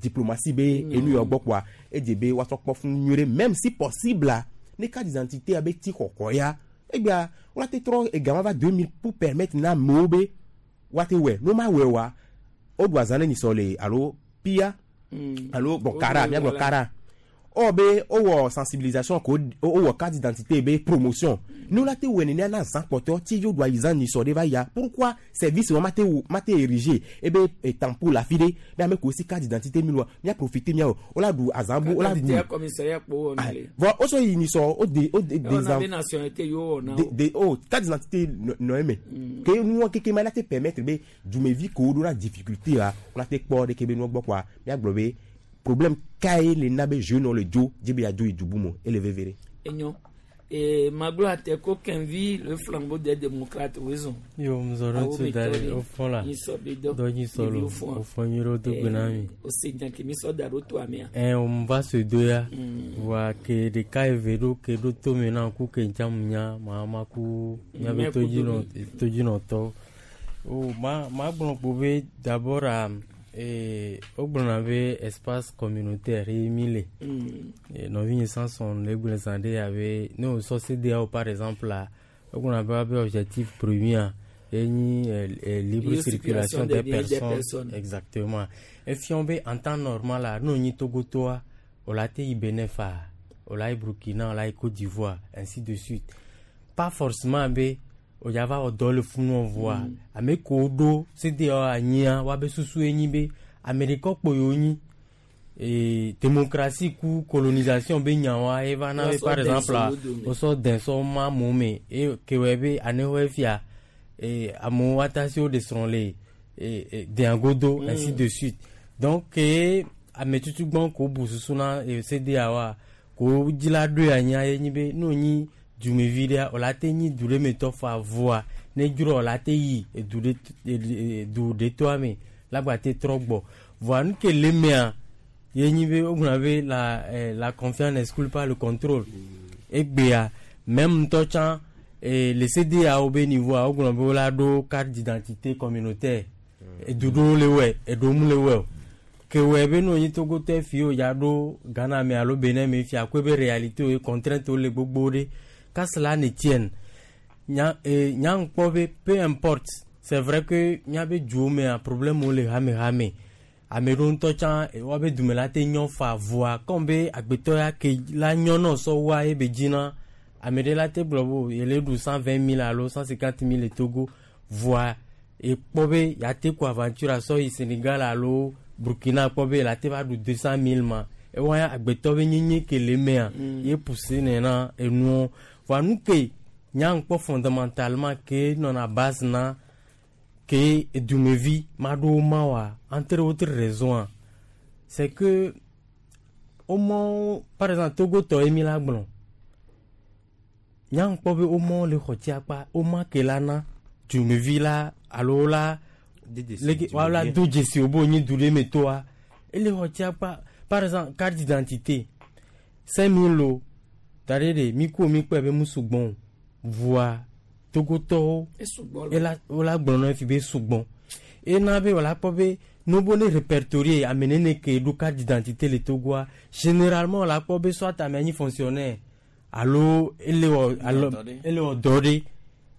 diplomatie be enu yɔ gbɔ kpoa edze be woatrɔ kpɔ fún nyuie ɖe même si possible la ne carte d'identité abe ti xɔxɔ ya egbea woate trɔ egama va 2000 pour permettre na amewo be woate wɔe no ma wɔe wa woɖu azã ne nyisɔ le alo pia alo bon Woɖu kara miagblɔ wala. kara ɔ be wowɔ sensibilisation ko wowɔ carte d'identité be promotion ne wola te wɔe nenea na zã kpɔtɔ ti yo ɖu ayi zã nyisɔ ɖe va ya pourquoi service wa mate wo mate érigé ebe tampon le afi ɖe be ame ko si carte d'identité mi loa mia profiter miawo wola ɖu azã bu wola ɖu Carte d'identité commissariat kpɔ wɔna le. vɔ wosɔ yi nyisɔ wo de wo de Wɔna be des nationalité yewo wɔna de o. de oh carte d'identité nɔ eme ke nuwɔ keke ma la te permettre be dumevi ko ɖo na difficulté la wola te kpɔ ɖeke be nuwɔ gbɔ kpoa miagblɔ be problème ka ye le na be jeune le dzo dzi be yeadzo yi du bu me ele veve ɖe. Enyo. E maglo ate ko Kenvi le flambeau des démocrates wezon. Yo, mzɔrɔ Awo tso me da tɔ ɖe ɖe, wofɔ la nyisɔ be dɔ. dɔ nyisɔ lo Ɖeviwo fɔa. wofɔ nyuie ɖe wodo gbe na mi. O se nya ke mi sɔ da ɖo toa mea. Ɛ o va se do ya voa ke ɖeka eve ɖo ke ɖo tome na ku ke ŋtsa mu nya ma ma ku miabe Mɛ ku todzinɔ domi. todzinɔtɔwo. O ma ma gblɔ kpo be d'abord a wogblɔna be espace communautaire ye mi le. Nɔvinye Samson le gblɔ zã ɖe abe ne wòsɔ CEDEAO par exemple la wogblɔna be woabe objectif premier Ye nyi libre Libre circulation circulation des des biens et des personnes. personnes. Exactement. Efiɔ be en temps normal la, ne wònyi Togotoa, wòla te yi Benin faa, wòla yi Burkina, wòla yi Côte d'Ivoire, ainsi de suite. Pas forcément be wòdza va wɔ dɔ le funu voa, ame kewo ɖo CEDEAO anyia, woabe susu ye nyi be ame ɖeka kpo yewo nyi. Et démocratie ku colonisation be nyawoa ye va na be Wosɔ par dɛn exemple sɔ wo dome. wosɔ dɛn sɔ ma amewo me eye kewɔe be anewoe fia e amewo atasi wo ɖe srɔ̃ le e dɛn godo, ainsi de suite. Donc ke ame tutugbɔn ko bu susu na CEDEAO ko dzila ɖoe anyia ye nyi be ne wonyi dumevi ɖea wòla te nyi du ɖe me tɔ fa voa ne dzroa wòla te yi edu ɖe du ɖe toa me la gba te trɔ gbɔ. Voa nu ke le mea ye nyi be wogblɔna be la confiance n'exclut pas le contrôle. Egbea même ŋutɔ tsã le CEDEAO be niveau a wogblɔ be wola ɖo carte d'identité communautaire. Edu ɖewo le wɔe, eɖewo mu le wɔe o. Ke wɔe be ne wonyi Togotɔ fi wo ya ɖo Ghana me alo Benin me fia koe be réalité wo ye contrainte wo le gbogbo ɖe. Qu'à cela ne tienne. Nya nya ŋkpɔ be peu importe. C'est vrai que míabe duwo mea problème wo le hame hame. Ame ɖewo ŋutɔ tsã woabe dume la te nyɔ fa voa comme be agbetɔ ya ke la nyɔ nɔ sɔ woa ye be dzina ame ɖe la te gblɔ be o yele ɖu 120 000 alo 150 000 le Togo voa ekpɔ be ya te ko aventure asɔ yi Sénégal alo Burkina kpɔ be la te va ɖu 200 000 ma ewa ya agbetɔ be nyenye ke le mea ye poussé nena enuwo. Voa nu ke nya ŋkpɔ fondamentalement ke nɔna base na ke dumevi maɖewo ma wa entre autres raisons c'est que au moins par exemple Togo tɔ ye mi la gblɔ nya ŋkpɔ be womɔ le xɔ tia kpa woma ke la na dumevi la alo la leke wala do dzesi wo be wonyi du ɖe me toa ele xɔ tia kpa. Par exemple carte d'identité 5000 lo da ɖe ɖe mi ko mi kpɔe be mu sugbɔn o voa Togotɔwo ela wola gblɔ na fi be sugbɔn ena be wòla kpɔ be nobo ne répertorier ame nene ke ɖo carte d'identité le Togoa, généralement wòla kpɔ be soit ame nyi fonctionnaire alo ele wɔ alo ele wɔ dɔ ɖe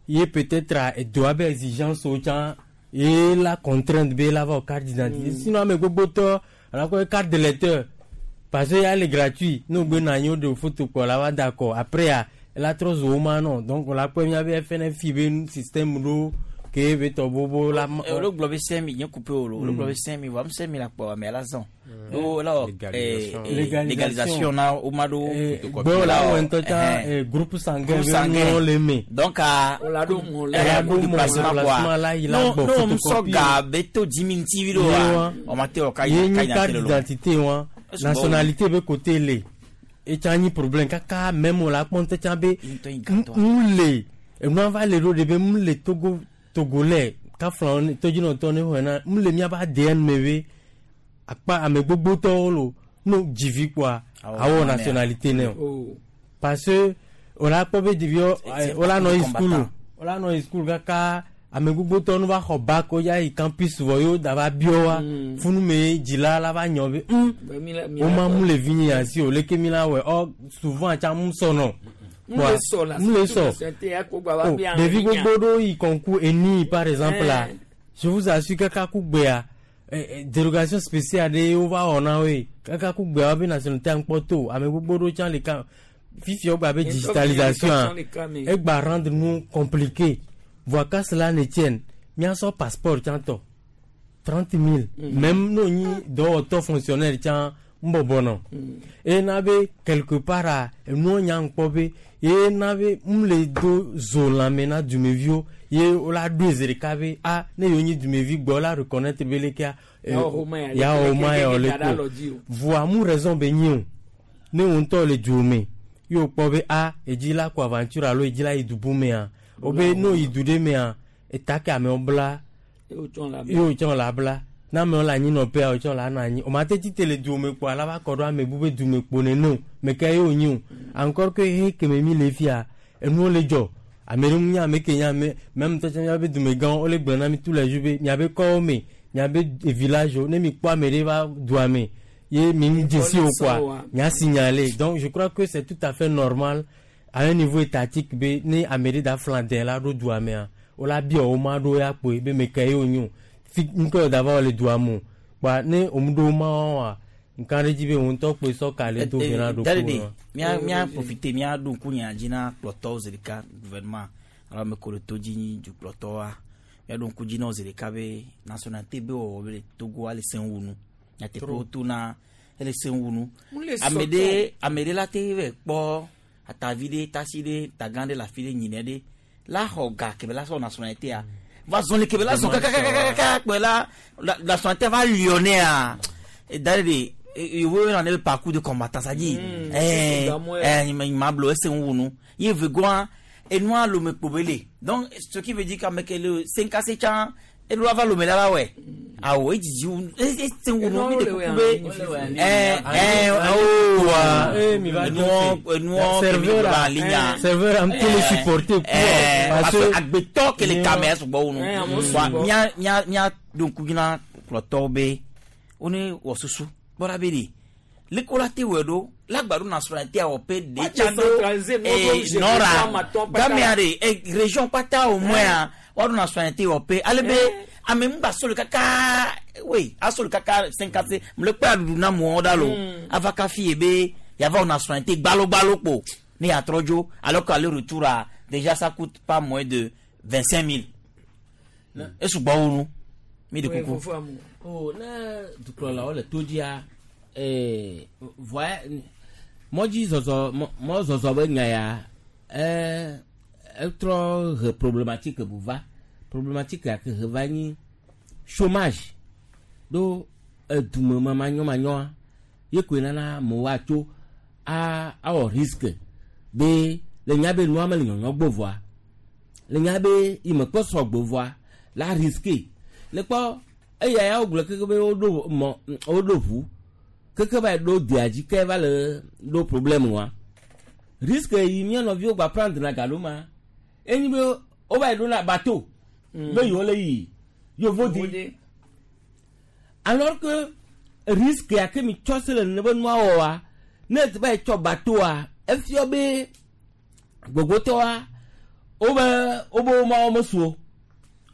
ye peut-être edoa be exigence wo tsã ye la contrainte be la va wɔ carte d'identité. Sinon ame gbogbotɔ wòla kpɔ be carte d'électeur parce que ya le gratuit ne wogbe nɔ anyi woɖe photo kpɔ la va da akɔ après ya ela trɔ zu wo ma nɔ. Donc wòla kpɔ miabe FNFI be système ɖo ke be tɔ bobo la. Olu gblɔ be 5000 nye coupé o lo olu gblɔ be 5000 voa 5000 la kpɔ ame la zɔn o la wɔ légalisation na o ma ɖo. Gbɔ la wɔ ŋutɔ tsã groupe sanguin be nuwo le me. Donc a o la ɖo mɔ la ɖo mɔ déplacement quoi la yi la non gbɔ non sɔ photocopie. Ga be to 10 000 ti do wa o ma te o ka ye yi ka nyi carte yi na d'identité wa nationalité be côté le etsa nyi problème kaka même o la kpɔ ŋutɔ tsã be mu le enua va le ɖo ɖe be mu le Togo togolais kafla tɔdzinɔtɔ ne xɔe na mu le miabe ADN me be akpa ame gbogbotɔwo lo no dzivi kpoa awɔ nationalité ne o parce que o la kpɔ be ɖeviwo o la nɔ yi school o la nɔ yi school kaka ame gbogbotɔwo no va xɔ bac o ya yi campus vɔ yewo da va biɔ wa funu me dzila la va nyɔ be wo ma mu le vi nye asi o leke mi la wɔe ɔ souvent tsa mu sɔnɔ mu le sɔ o ɖevi gbogbo ɖewo yi concours eni par exemple la je vous assure kaka ku gbea dérogation spéciale ɖe wova wɔ na woe kaka ku gbea wobe nationalité ŋkpɔ to ame gbogbo ɖewo tsã le ka fifi wogba be digitalisation egba rendre nu compliqué. Voa qu'à cela ne tienne miasɔ passeport tsã tɔ 30 000 même n'o nyi dɔwɔtɔ fonctionnaire tsã ŋbɔbɔ nɔ eye na be quelque part a enuwo nya ŋkpɔ be ye na be ŋu le do zo lãme na dumeviwo ye wola ɖoe zi ɖeka be a ne yewo nyi dumevi gbɔ wola reconnaître be lekea ya wɔ ma ya wɔ le ko voa mu raison be nyi o ne wo ŋutɔ le du me ye wokpɔ be a edzi la ko aventure alo edzi la yi du bu mea wo be ne wo yi du ɖe mea eta ke amewo bla ye wotsɔ la bla ne amewo le anyinɔƒea wotsɔ la nɔ anyi o ma te tite le duwo me kpoa la va kɔ ɖo ame bu be du me kpo nene o me ke ye wonyi o encore que he keme mi le fia enuwo le dzɔ ame ɖe ŋu nye ame ke nye ame même ŋutɔ tsã miabe dumegãwo wole gblɔ na mi tous les jours be miabe kɔwo me miabe village wo ne mi kpɔ ame ɖe va dua me ye mi ŋu dzesi o quoi mia signaler. Donc je crois que c'est tout à fait normal à un niveau étatique be ne ame ɖe da flan dɛ la ɖo dua mea wola biɔ woma ɖo ya kpoe be me ke ye wonyo fi ŋkɔ yɔ dava le dua mo kpa ne omu ɖo woma wa nka ɖe dzi be wo ŋutɔ kpoe sɔ ka le do vi na ɖo Daddy, mía mía profite mía ɖo ŋku nya dzi na kplɔtɔwo zi ɖeka gouvernement alo ame ko le to dzi nyi dukplɔtɔwoa mía ɖo ŋku dzi na wo zi ɖeka be nationalité be wɔwɔ be le Togoa le sẽ wu nu nyateƒe Trop. woto na ele sẽ wu nu Mu le ame sɔtɔ. ɖe ame ɖe la te vɛ kpɔ atavi ɖe tasi ɖe tagã ɖe le afi ɖe nyinɛ ɖe la xɔ ga kebe la sɔ nationalité a va zɔn le kebe la zɔn kakakakaka kpe la la- nationalité va liɔ nɛa da ɖe yewo yɔna ne be parcours de combattant ça dit c'est ça, moi. ma blo ese ŋu nu ye vegoa enua lome kpo be le donc ce qui veut dire qu'ame ke le senkase tsã eɖo ava lome la va wɔe awo edzidzi wu ese ŋu nu mi de kuku be ɛɛ ɛɛ awo Eh, mi va enuɔ enuɔ Serveur kemi a- ba alinya serveur a ŋutɔ le supporter quoi, parce parce que- que agbetɔ ke le kame sugbɔ wu nu Eh, amewo wa sugbɔ. mía mía mía ɖo ŋku dzi na kplɔtɔwo be wone wɔ susu kpɔɖa be ɖe leke la te wɔe ɖo lagba ɖo nationalité awɔ pe ɖe Wa tsa ɖo décentraliser nuwo eh, ɖo gérer nɔra amatɔ kpata. gamea ɖe eh, région kpata au moins woaɖo nationalité wɔ pe ale be ame ŋgba solo kaka oui asolo kaka 50 mle kpe aɖuɖu na mɔɔ ɖa lo ava kafi ye be yava wɔ nationalité gbalogbalo kpo ne yatrɔ dzo alors que aller retour a déjà ça coûte pas moins de 25 000 esugbɔ wu nu mi de Oui, kuku. fofo amu. o ne dukplɔlawo le to dzia ee voya mɔdzi zɔzɔ mɔ mɔzɔzɔ be nya ya ee etrɔ he problématique bu va problématique ya ke he va nyi chômage ɖo edume me manyɔmanyɔa ye koe nana amewo atso a awɔ risque be le nya be nua mele nyɔnyɔ gbɔ vɔa le nya be yi me kpɔ sɔgbɔ vɔa la risque le kpɔ eya ya wogblɔ keke be woɖo mɔ woɖo ʋu keke va yi ɖo dea dzi ke va le ɖo problème wa risque yi mía nɔviwo gba prendre na galo ma enyi be wova yi ɖo na bateau be yewo le yi yevo di alors que risque ya ke mi tsɔ se le nene be nua wɔ wa ne va yi tsɔ bateau-a efiɔ be gbogbotɔa wobe wobe womawo mesu o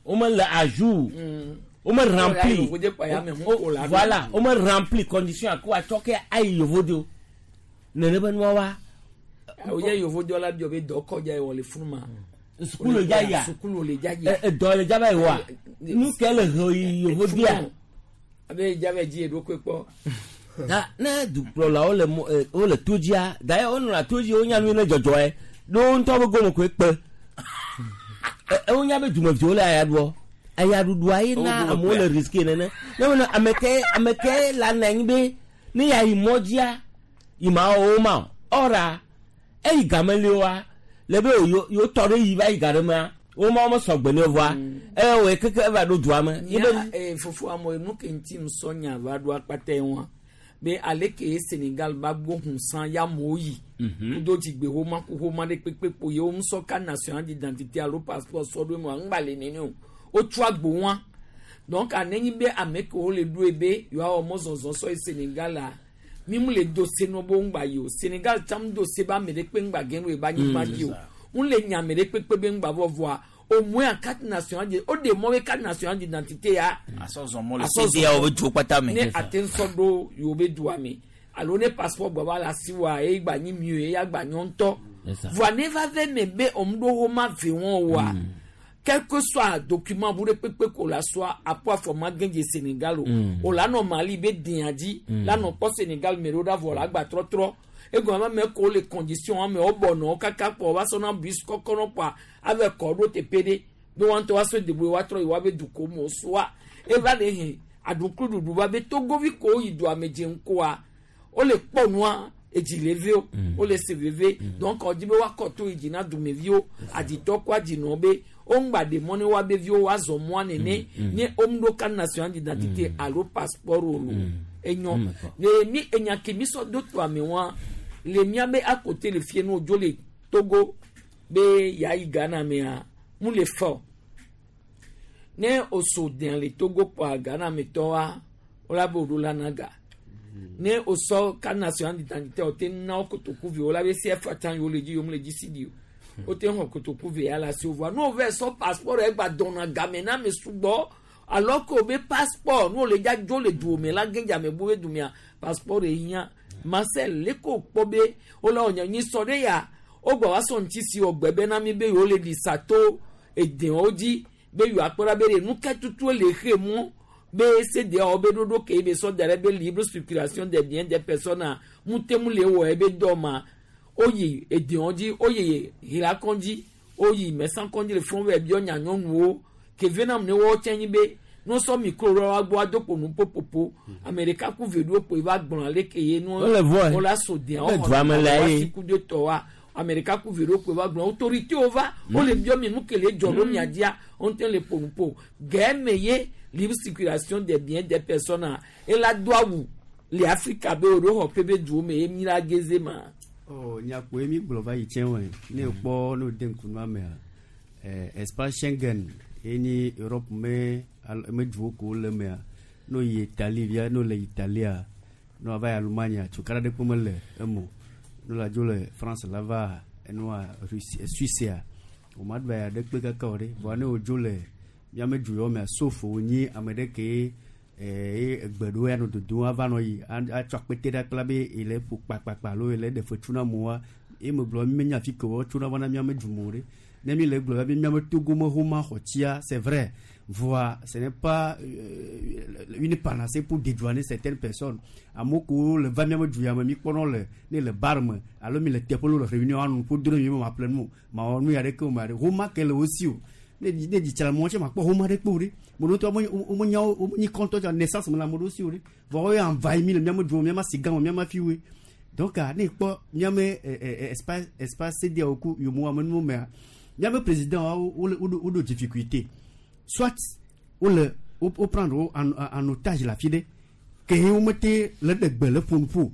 wome le à jour wome rempli Yovode kpa ya me hu ko la ɖo. voilà wome rempli condition a ko atsɔ ke ayi yovode o nene be nua wa Awo ye yovo la biɔ be dɔ kɔdza ye wɔ le funu ma. sukulu le dza yia Sukulu le dza yia. Ɛ, dɔ le dza va yi wa nu ke le he yi yovodea Abe dza va dzi eɖokui kpɔ. da ne dukplɔlawo le mɔ ɛ, wole to dzia d'ailleurs wonɔna to dzi wonya nu yi ne dzɔdzɔe ɖo wo ŋutɔ be gome koe kpe Ɛ, ɛ, wonya be dumeviwo le aya ɖuɔ ayaɖuɖua ye na Wo gome amewo kpea. le risque nene ne wona ame ke ame ke la nɔ anyi be ne ya yi mɔ dzia yi ma wɔ wo ma o ɔra eyi game li wa le be yo yo tɔ ɖe yi va yi ga ɖe mea wo ma wo me sɔgbe ne vɔa eye wòye keke eva ɖo dua me ye be Nya eh, fofo amu enu ke ŋuti ŋusɔ nya va ɖo akpata ye wa be aleke ye Senegal ba gbɔ hunsan ya amewo yi. Kudo dzigbe homa ku homa ɖe kpekpe kpo ye wo ŋusɔ ka national d'identité alo passeport sɔ ɖo eme wa ŋgba le nene o. Wotso agbo wa. Donc anenyi be ame kewo le ɖoe be yewoawɔ mɔzɔzɔ sɔ yi Senegal la mi mu le do se nɔ be ŋgba yi o. Senegal tsã mu do se be ame ɖe kpe ŋgba ge ɖo eba nyigba dzi o. Ŋu le nya ame ɖe kpekpe be ŋgba vɔ vɔa au moins carte nationale de o de mɔ be carte nationale d'identité ya. Asɔ zɔn mɔ le CEDEAO be duwo kpata me. Ne ate ŋusɔ ɖo yewo be dua me alo ne passeport gba va le asi wa eye gba nyi mieux eya gba nyɔ ŋutɔ. Voa ne va ve me be òm ɖo woma ve wɔn wa quel que soit document bu ɖe kpekpe ko la soa apo afɔma gɛdze Sénégal o o la nɔ Mali be dea dzi la nɔ kpɔ Sénégal me ɖo ɖa vɔ la gba trɔtrɔ egɔme ame ko le condition ame wo bɔnɔ kaka kpɔ wa sɔna bus kɔkɔ nɔ kpɔa ave kɔ ɖo teƒe ɖe be wɔn ŋutɔ wa sɔ deboe wa trɔ yi wa be duko me soa eva le he aɖuklu ɖuɖu va be togovi ko yi dua me dze ŋkɔa wole kpɔ nua edzi le vi o wole se veve donc ɔdi be woakɔ to yi dzi na dumeviwo aditɔ kɔ adzinɔ be woŋgba ɖe mɔ ne woabe viwo woazɔ mɔa nene ne woŋɖo carte nationale d'identité alo passeport o lo enyɔ le mi enya ke mi sɔ do to ame wa le miabe akote le fie no dzo le Togo be yayi Ghana mea mu le fɔ ne o so den le Togo kpɔa Ghana me tɔ wa wola be woɖo la na ga ne o sɔ carte nationale d'identité o te na wo kotoku vi o la be CFA tsã yewo le dzi yewo le dzi si di o Wote xɔ kotoku ve ya le asi wo vɔa ne wova sɔ passeport egba dɔna game na ame sugbɔ alors que wobe passeport ne wole dza dzo le duwo me la ge dze ame bu be dumea passeport ehiã. Marcel leke wokpɔ be wole wɔ nya nyi sɔ ɖe ya wogba va sɔ ŋuti si wɔ gbe be na mi be yewo le ɖi sa to edewo dzi be yewoakpɔ ɖa be ɖe nu ka tutu le xe mɔ be CEDEAO be ɖoɖo ke be sɔ da ɖe be libre circulation des biens des personnes mute mu le wɔ ebe dɔ ma woyi edewo dzi woyi hila dzi woyi mɛsankɔndzi le fɔn vɛ biɔ nya nyɔnuwo ke venam ne wɔwɔ tsɛ nyi be ne wosɔ micro ɖe wa gbɔ ado kpo nu popopo ame ɖeka ku ve ɖo kpo eva gblɔ ale ke ye nu Wole vɔe. wole aso dea Le dua me le ye. ku de tɔ wa ame ɖeka ku ve ɖo kpo eva gblɔ autorité wo va wole biɔ mi nu ke le dzɔ ɖo mia dzia wo ŋutɔ le ƒo nu ƒo gɛmɛ ye libre circulation des biens des personnes ela do awu le Afrika be wo ɖo xɔ ƒe be duwo me ye mi la geze ma. Oh, nyakpoe mi gblɔ va yi tsɛ wɔe ne kpɔ ne wòde ŋku nua mea espace Schengen ye nyi Europe me me duwo ko le mea ne woyi Italie via ne wole Italia ne woava yi Allemagne tsokara ɖe kpe mele eme o ne wole dzo le France la va enua Russie Suisse wo ma ɖu ya ɖe kpe kaka o ɖe vɔa ne wodzo le miame du yawo mea sauf wonyi ame ɖe ke ye egbe ɖewo ya nɔ dodom ava nɔ yi atsɔ akpete ɖe akpla be ele ƒo kpakpakpa alo ele ɖe fetu na amewoa ye me gblɔ mi menya fi ke wotsona va na miame du me o ɖe ne mi le gblɔ be miame Togo me homa xɔ tsia, c'est vrai, voa ce n'est pas une panacée pour dédouaner certaines personnes. Amewo kewo le va miame du ya me mi kpɔnɔ le ne le bar me alo mi le teƒe le réunion anu ƒo do ne mi me ma ƒle nu o ma wɔ nu ya ɖeke o ma ɖe homa ke le wo si o ne ne dzi tsa le mɔ tse ma kpɔ homa ɖe kpe o ɖe mo ɖo tɔ wo me nya wo me nyi kɔntɔ tsa naissance me le ame ɖewo si o ɖe vɔ wo ya envahi mi le miame du me miame asi gã me miame afiwoe. Donc ne kpɔ miame espace CEDEAO ku yomo ame nuwo mea miame président wa wo wo ɖo difficulté soit wo le wo prendre wo en otage le afi ɖe ke wo mete le ɖe gbe le ƒo nu ƒo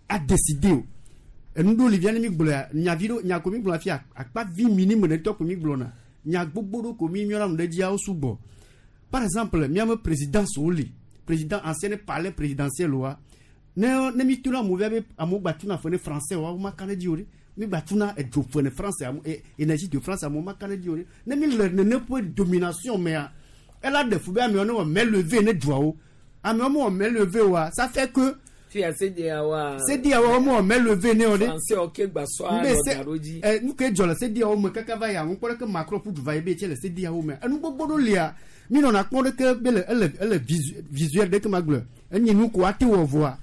a décider o enu ɖo li via ne mi gblɔa nyavi ɖo nya ko mi gblɔ afia akpa vi minime ɖe ŋutɔ ko mi gblɔna nya gbogbo ɖo ko mi miɔna nu ɖe dzia wo sugbɔ. Par exemple, miame présidence wo li président ancien palais présidentiel wa ne mi tuna amewo via be amewo gba tuna fe ne français wa wo ma ka ɖe dzi o ɖe mi gba tuna edzo fe ne français ame énergie de France amewo ma ka ɖe dzi o ɖe ne mi le nene ƒe domination mea ela ɖe fu be amewo ne wɔ main levée ne duawo amewo me wɔ main levée oa, ça fait que Fia CEDEAO wa. CEDEAO wa me wɔ main levée ne o ɖe. Français wo ke gba sɔ alɔ da ɖo dzi. Nu ke dzɔ le CEDEAO me kaka va ya ŋu kpɔ ɖe ke Macron ƒu du va yi be tse le CEDEAO me enu gbogbo ɖo lia mi nɔna kpɔm ɖe ke be le ele visuel ɖe ke ma gblɔ enyi nu ko ate wɔ vɔa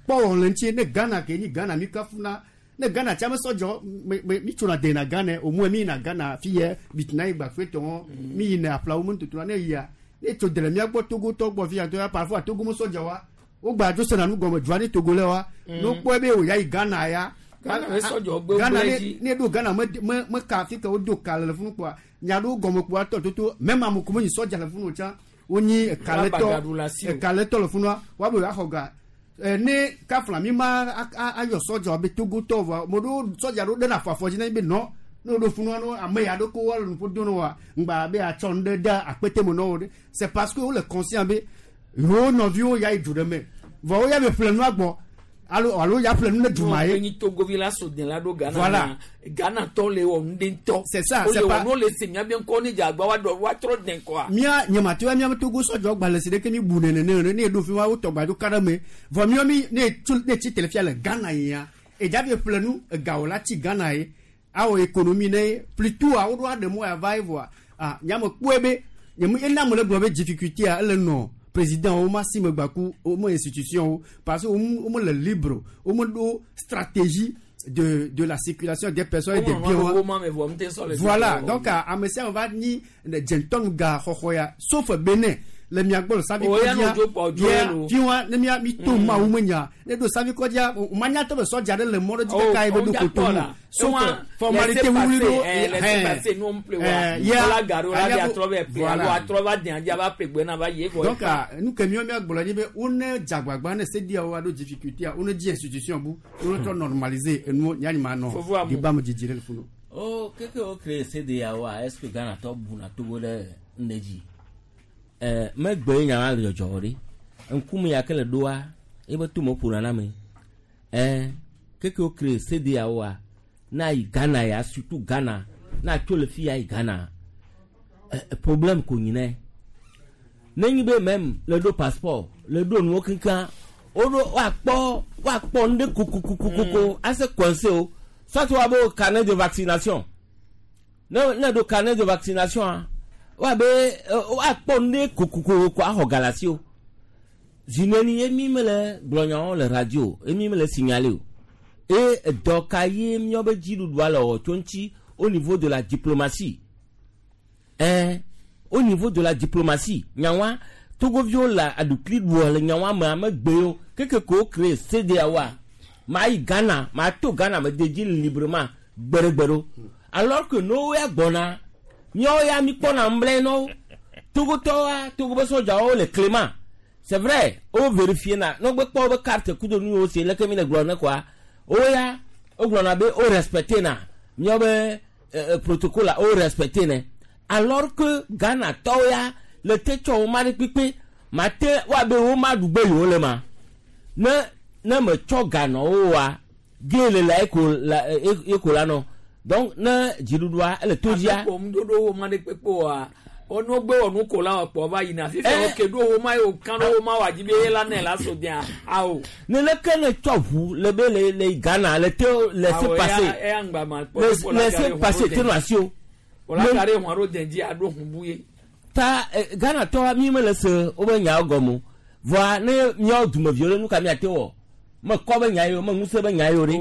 kpɔ wɔ le ŋuti ne Ghana ke nyi Ghana mi kafuna ne Ghana tsa me sɔdzɔ me me mi tsona de na Ghana o mu mi yina Ghana fi yɛ bitina yi gba fetɔ mi yina aƒlawo me ŋututuna ne yia ne tso de le mía gbɔ Togo tɔ gbɔ fi ya to ya parfois Togo me sɔdza wa wo gba dzo sena nu gɔme dua ne Togo le wa ne wokpɔe be o ya yi Ghana ya Ghana me sɔdzɔ gbe Ghana gblẽ ne dzi. Ne ɖo Ghana me ka fi ke wodo ka le funu kpɔa nya ɖewo gɔme kpɔa tɔ toto même ame ko me nyi sɔdza le funu tsã wonyi ekaletɔ Woagbagaɖu le asi o. Ekaletɔ le funua woabe woaxɔ ga ne kafla mi ma ayɔ sɔdza be Togotɔ vɔa mo ɖewo sɔdza ɖewo ɖena afɔ afɔ dzi na be nɔ ne woɖo funua no ame ya ɖo ko woale nuƒo do no wa ŋgba be atsɔ nu ɖe de akpete me na wo ɖe. C'est parce que wole conscient be yewo nɔviwo ya yi du ɖe me vɔ wo ya be ƒle nua gbɔ alo ya ƒle nu ne du ma ye. Enyi Togovi la so den la ɖo Ghana. Voilà. Na Ghana tɔ le wɔ nu ɖe ŋutɔ. C'est ça, Wole c'est wɔ pas- nu le se mía be ŋkɔ ne dze agba wa ɖɔ wa trɔ den kɔa. Mía nyemate wa míabe Togo sɔdzɔ gbalẽ si ɖeke mi bu nene ne ne eɖo fi ma wotɔ gba dzo ka ɖe me vɔ míawo mi ne tso ne tsi tele fia le Ghana yia edza fi ƒle nu egawo la tsi Ghana ye awɔ économie ne plutôt a woɖo aɖe mɔ ya va ye vɔa ah nyame kpɔe be nyeme ena ame le gblɔ be difficulté a ele nɔ président wo ma si me gbaku wo me institution wo parce que wo me le libre wo me ɖo stratégie de la circulation des personnes et des biens wa. Wo ma me vɔ ŋutɛ sɔ le. Voilà, donc ame sia ame va nyi dzentɔnu ga xɔxɔ ya sauf Benin le mia gbɔ le savi O ya kɔdzia no dzo kpɔ dzo ya lo. fi wa ne mia mi to mawu me nya ne do savi kɔdzia o ma nya tɔ be sɔdza ɖe le mɔ ɖe dzi kaka ye be do koto nu sauf formalité wuli ɖo Laissez passer nu ƒle wa. Ya Wala garo la anya bi ko- atrɔ bɛ ple voilà. alo atrɔ va den adi ava ple gbe na va ye vɔ. Donc nu ke miɔ mia gblɔ nyi be wone dzagbagba ne CEDEAO wa ɖo difficulté a wone dzi institution bu wone trɔ normaliser enuwo yanni ma nɔ Fofo amu. débat me dzidzi ɖe le funu. O keke wo créé CEDEAO a est ce que Ghana tɔ buna Togo ɖe ŋɖe dzi megbe nya ma le dzɔdzɔ ɖe ŋkume ya ke le ɖoa ebe to me ƒona na me keke wo créé CEDEAO a Na yi Ghana ya surtout Ghana na tso le fi ya yi Ghana problème ko nyi nɛ. Ne nyi be même le ɖo passeport le ɖo nuwo keŋkeŋ woɖo woakpɔ woakpɔ nu ɖe kokokokoko ase coincé o soit woabe wo carnet de vaccination ne ne ɖo carnet de vaccination a woabe woakpɔ nu ɖe kokokoko axɔ galasi o zineni ye mi mele gblɔ nyawo le radio ye mi mele signaler o eye edɔ ka ye míawo be dziɖuɖua le wɔ tso ŋuti au niveau de la diplomatie au niveau de la diplomatie nyawa togoviwo le aɖukli ɖua le nyawa me amegbewo keke ko wo créé CEDEAO ma yi Ghana ma to Ghana me de dzi librement gbeɖegbeɖo alors que no ya gbɔna míawo ya mi kpɔna ŋblɛ nɔwo togotɔwoa togo be sɔdzawo le clément c'est vrai wo vérifier na ne wo kpɔ wobe carte kudo nu yiwo se leke mi le gblɔ ne koa wo ya wo gblɔna be wo respecté na míawo be protocole wo respecté ne alors que Ghana tɔwo ya le te tsɔ wo ma ɖe kpekpe ma te woabe wo ma ɖu gbe yewo le ma ne ne me tsɔ ga nɔ wo wa ge le la eko la eko la nɔ donc ne dziɖuɖua ele to dzia. Ame kpɔ ŋuɖoɖo wo ma ɖe kpekpe oa wọnú gbé wọnú kò la ọ̀pọ̀ va yina fífẹ́ òkè ɖo wo ma yóò kán wo ma wà jí bí la nẹ̀ la so diẹ awo. ne leke ne tsɔ ʋu le be le le Ghana le te laisser passer laisser passer te nɔ asi o. Wòle aka ɖe hɔn ɖo dẹ̀ dzi aɖo hun bu ye. Ta Ghana tɔ mi mele se wobe nyawo gɔme o vɔa ne míawo dumeviwo ɖe nu ka míate wɔ me kɔ be nya yi o me ŋusẽ be nya yi o ɖe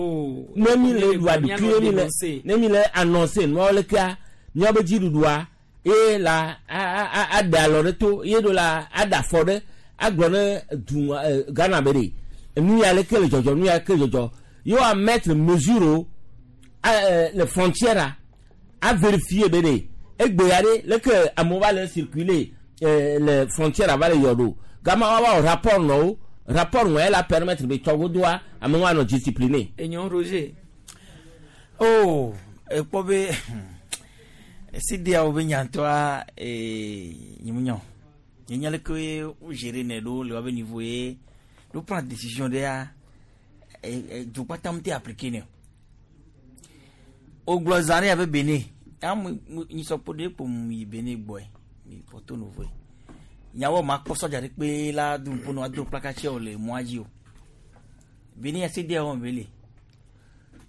ne mi le ɖu aɖukli mi le ne mi le annoncé nuawo lekea míawo be dziɖuɖua ye la aɖe alɔ ɖe to ye ɖo la aɖe afɔ ɖe agblɔ ne du Ghana be ɖe nu ya leke le dzɔdzɔ nu ya leke le dzɔdzɔ ye woa mettre mesure o le frontière a vérifier be ɖe egbe ya ɖe leke amewo va le circuler le frontière va le yɔ ɖo gama woava wɔ rapport nɔ wo rapport ŋɔ la permettre be tsɔgodoa amewo anɔ discipliné. Enyo Roger. Oh ekpɔ be CEDEAO be nyantɔa nyimunyɔ nye leke wo gérer ne ɖo le woabe niveau ye ɖo prendre décision ɖea du kpata mu te appliquer ne o wogblɔ zã ɖe abe Benin amu nyisɔkpo ɖe kpo mu yi Benin gbɔe mi Porto Novo nyawo ma kpɔ sɔdza ɖe kpe la du ŋpo no ado plakatsia o le mɔa dzi o Benin ya CEDEAO me le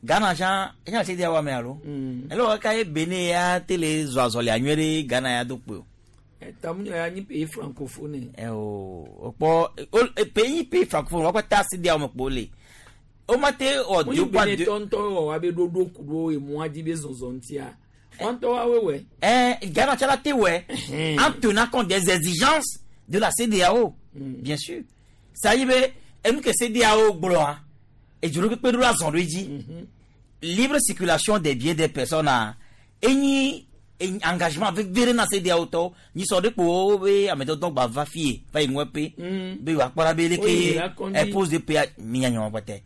Ghana tsã etsã CEDEAO me alo ele wɔ kaka ye Benin ya te le zɔ azɔlia nyuie ɖe Ghana ya do kpe o. Tamu ya nyi pays francophone. Ɛ o kpɔ pays pays francophone wɔn kpata CEDEAO me kpo le o ma te wɔ deux points deux. Benin tɔntɔn wɔ wa be ɖoɖo ku ɖo emɔa dzi be zɔzɔ ŋutia wɔn tɔ wa wewɛ. Ɛ Ghana tsã la te wɛ en tenant compte des exigences de la CEDEAO bien sûr ça y be enu ke CEDEAO gblɔa edzro kpekpe ɖo la zɔn ɖo edzi libre circulation des biens des personnes a enyi engagement vevi ɖe na CEDEAO tɔwo nyisɔ ɖe kpo be amedɔdɔ gba va fie va yi ŋue pe be wòakpɔ ɖa be leke impose de pe minya nyɔmɔ kpɛtɛ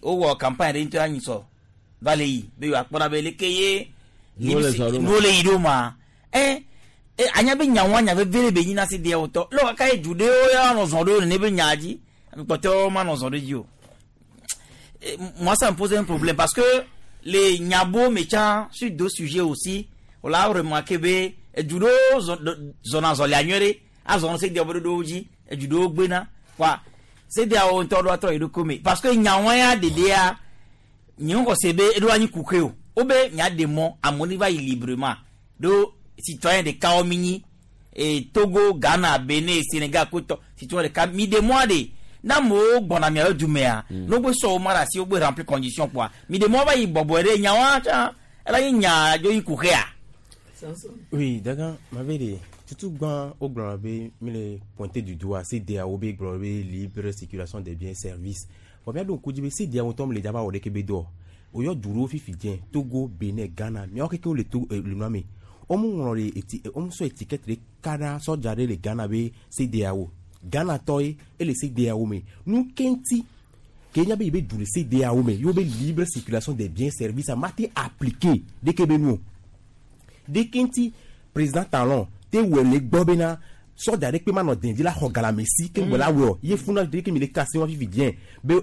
wowɔ campagne ɖe ŋutɔ anyisɔ va le yi be wòakpɔ ɖa be leke ye nuwo le yi ɖo ma ɛ anya be nyawo nya vevi ɖe be nyi na CEDEAO tɔ le kaka ye du ɖewo ya nɔ zɔn ɖo nene be nya dzi kpɔtɔwo ma nɔ zɔn ɖe dzi o. Moi ça me pose un problème parce que les nyabo méchants sur deux sujets aussi on l'a remarqué be du do zona zɔlia nyuie ɖe azɔ CEDEAO be ɖoɖowo dzi edu ɖewo gbena quoi CEDEAO ŋutɔ ɖo atrɔ yi ɖo kome parce que nyawo ya ɖeɖea nye ŋgɔ se be eɖo anyi kuke o wo be nya ɖe mɔ amewo ne va yi librement ɖo citoyen ɖekawo mi nyi e Togo Ghana Benin Sénégal kotɔ citoyen ɖeka mi ɖe mɔa ɖe na amewo gbɔna miaƒe dumea ne wogbe sɔ wo ma ɖe asi wogbe remplir condition kpoa mi ɖe mɔ va yi bɔbɔe ɖe nyawoa tsã ela nye nya dzo yi kuxea. Oui, d'accord, ma vérité. Surtout quand au gblɔ be mi le pointer du doigt CEDEAO be gblɔ be libre circulation des biens et services. Bon, bien donc dzi be CEDEAO ŋutɔ me le dzaba wɔ ɖeke be dɔ. Oyɔ du ɖewo fifi dze Togo, Benin, Ghana. Miawo keke wole to le nua me. Womu ŋlɔ ɖe eti womu sɔ étiquette ɖe ka ɖa sɔdza ɖe le Ghana be CEDEAO. Ghana tɔ ye ele CEDEAO me. Nu ke ŋuti ke nya be yi be du le CEDEAO me yewo be libre circulation des biens et services a ma te appliquer ɖeke be nu o. Ɖeke ŋuti président Talon te wɔ le gbɔ bena sɔdza ɖe kpe ma nɔ den dzi la xɔ galame si ke ŋgbɔ la wɔ ye funa ɖeke mi le kasi wɔn fifi diɛ be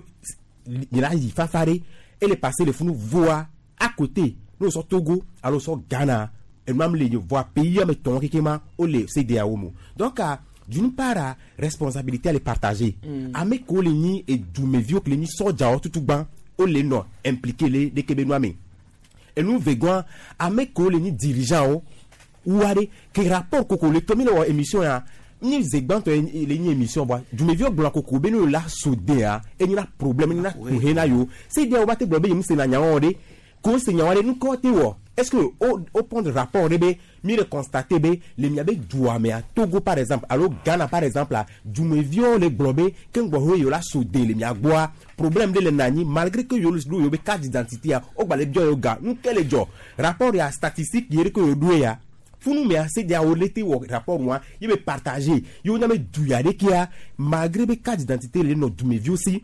mi la yi fafa ɖe. Ele passé le funu voa à côté ne sɔ Togo alo sɔ Ghana enua mi le ye voa pays ame tɔn keke ma o le CEDEAO mo. Donc ah, d'une part ah, responsabilité le partager. Ame kewo le nyi edumeviwo ke le nyi sɔdzawo tutugbã o le nɔ impliqué le ɖeke be nua me. Enu vegɔa ame kewo le nyi dirigeant wo wua ɖe ke rapport koko le tɔ mi le wɔ émission ya ni ze gbãtɔ ye le nyi émission voa dumeviwo gblɔna koko be ne yo la so dea enyina problème enyina kuhe na yo CEDEAO ba te gblɔ be yem sena nyawo ɖe ko se nyawo ɖe nukɔ te wɔ est-ce que o o prendre rapport ɖe be mi le constater be le miabe dua mea Togo par exemple alo Ghana par exemple a dumeviwo le gblɔ be ke ŋgbɔ ho yewo la so de le mia gbɔa problème ɖe le na anyi malgré que yewo ɖo yewo be carte d'identité ya wo gba le biɔ yewo ga nu ke le dzɔ rapport ya statistique ye ɖe ke yewo ɖoe ya funu mea CEDEAO le te wɔ rapport wa ye be partager yewo nya be du ya ɖekea malgré be carte d'identité le nɔ dumeviwo si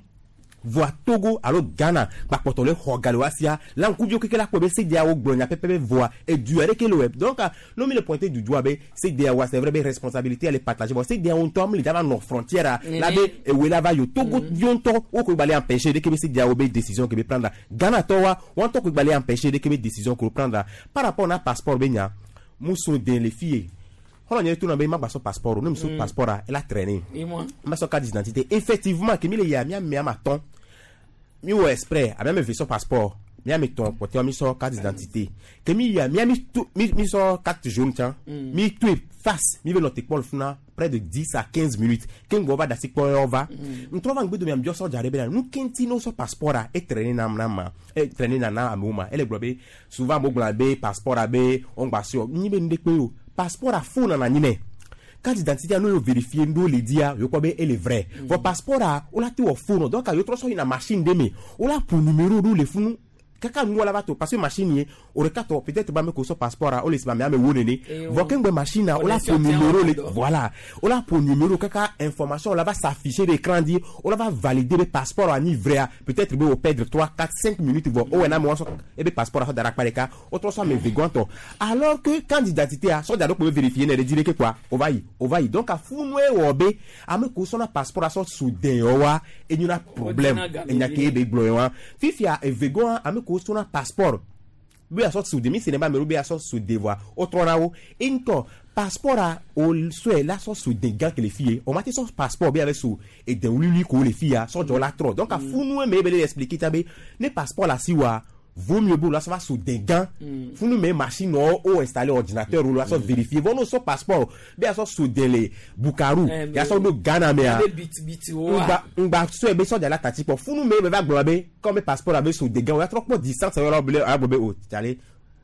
voa Togo alo Ghana gbakpɔtɔ le xɔ ga le wa sia la ŋkuviwo keke la kpɔe be CEDEAO gblɔ nya pɛpɛpɛ voa edu ya ɖeke le wɔe. Donc ne mi le pointer du doigt be CEDEAO c'est vrai be responsabilité le partager bon CEDEAO ŋutɔ mi le dza va nɔ frontière a la be ewoe la va yi o Togo viwo ŋutɔ wo koe gba le empêcher ɖeke be CEDEAO be décision ke be prendre Ghana tɔ wa wa ŋutɔ koe gba le empêcher ɖeke be décision ke wo prendre par rapport na passeport be nya muso den le fie xɔlɔ nye to na be ma gba sɔ passeport o ne mi sɔ passeport a ela traîner ma sɔ carte d'identité effectivement ke mi le yia mia me ama tɔn mi wɔ exprès ame ame ve sɔ passeport mia me tɔn kpɔtɔe mi sɔ carte d'identité ke mi yia mia mi to mi mi sɔ carte jaune tsã mi toe face mi be nɔ te kpɔ le funa près de 10 à 15 minutes ke ŋgbɔ va dasi kpɔ yɔ va ŋtrɔ va ŋgbe do mia biɔ sɔdza ɖe bena nu ke ŋuti ne wosɔ passeport a e traîner na na ma e traîner na na amewo ma ele gblɔ be souvent amewo gblɔna be passeport a be wo ŋgba sɔ nyi be nu ɖe kpe o passeport a faux nana anyi nɛ carte d'identité no yo vérifier ŋɖo le dia yo kpɔ be ele vrai vɔ passeport a wo la te wɔ faux nɔ donc yo trɔ sɔ yina machine ɖe me wo la ƒo numéro ɖo le funu kaka nu la va to parce que machine ye o ɖeka tɔ peut-être ba me ko sɔ passeport a o le si ba me ame wo nene vɔ ke ŋgbe machine a o la ƒo numéro le voilà o la ƒo numéro kaka information la va s'afficher de écran di o la va valider be passeport a nyi vrai a peut-être be o perdre 3 4 5 minutes vɔ o wɔ na me wa sɔ ebe passeport a sɔ da ɖe akpa ɖeka o trɔ sɔ ame ve gɔntɔ alors que carte d'identité a sɔdza ɖo kpo be vérifier ne ɖe di ɖeke quoi o va yi o va yi donc afunue wɔ be ame ko sɔna passeport a sɔ so den yɔ wa enyina problème enya ke be gblɔ yɔ wa fifia evegɔa ame ko sɔna passeport be asɔ so de mi se ne ba ame ɖewo be asɔ so de voa o trɔna wo ŋutɔ passeport a o sɔe la sɔ so de gã ke le fi ye o ma te sɔ passeport be ave so ede wluiwlui ko le fi ya sɔdzɔ la trɔ donc afunue me be le expliquer ta be ne passeport la si wa vaut mieux be la sɔ va so de gã funu me machine wɔ o installer ordinateur o la sɔ vérifier vɔ n'o sɔ passeport be asɔ so de le Bukaru ya sɔ do Ghana mea ŋgba ŋgba sɔe be sɔdza la tati kpɔ funu me be va gblɔ be comme passeport la be so de gã o ya trɔ kpɔ distance yɔrɔ be a gblɔ be o tsale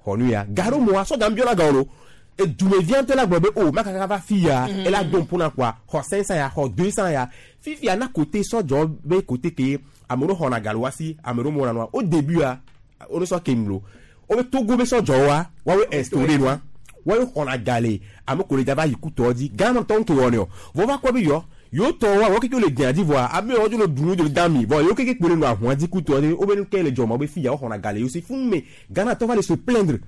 xɔ nu ya gaɖo moa sɔdza ŋbiɔ la gan o edumevia ŋutɔ la gblɔ be o makaka va fi ya ela do ŋpo kɔa xɔ 500 ya xɔ 200 ya fifia na côté sɔdzɔ be côté ke ame ɖewo xɔna ga le wa si ame ɖewo mɔna nua au début a wo sɔ ke nu lo wo be Togo be sɔdzɔ wa woawoe instauré nua woawoe xɔna ga le ame ko le dza va yi kutɔ dzi Ghana tɔ ŋke wɔnɛ o vɔ va kpɔ be yɔ yewo tɔ wa wo keke le dzia dzi vɔa ame yawo dzo le du nu dzo le dami vɔ yewo keke kpo le nɔ ahua dzi kutɔ dzi wo be nu ke le dzɔma wo be fi ya wo xɔna ga le yewo si funu me Ghana tɔ va le se plaindre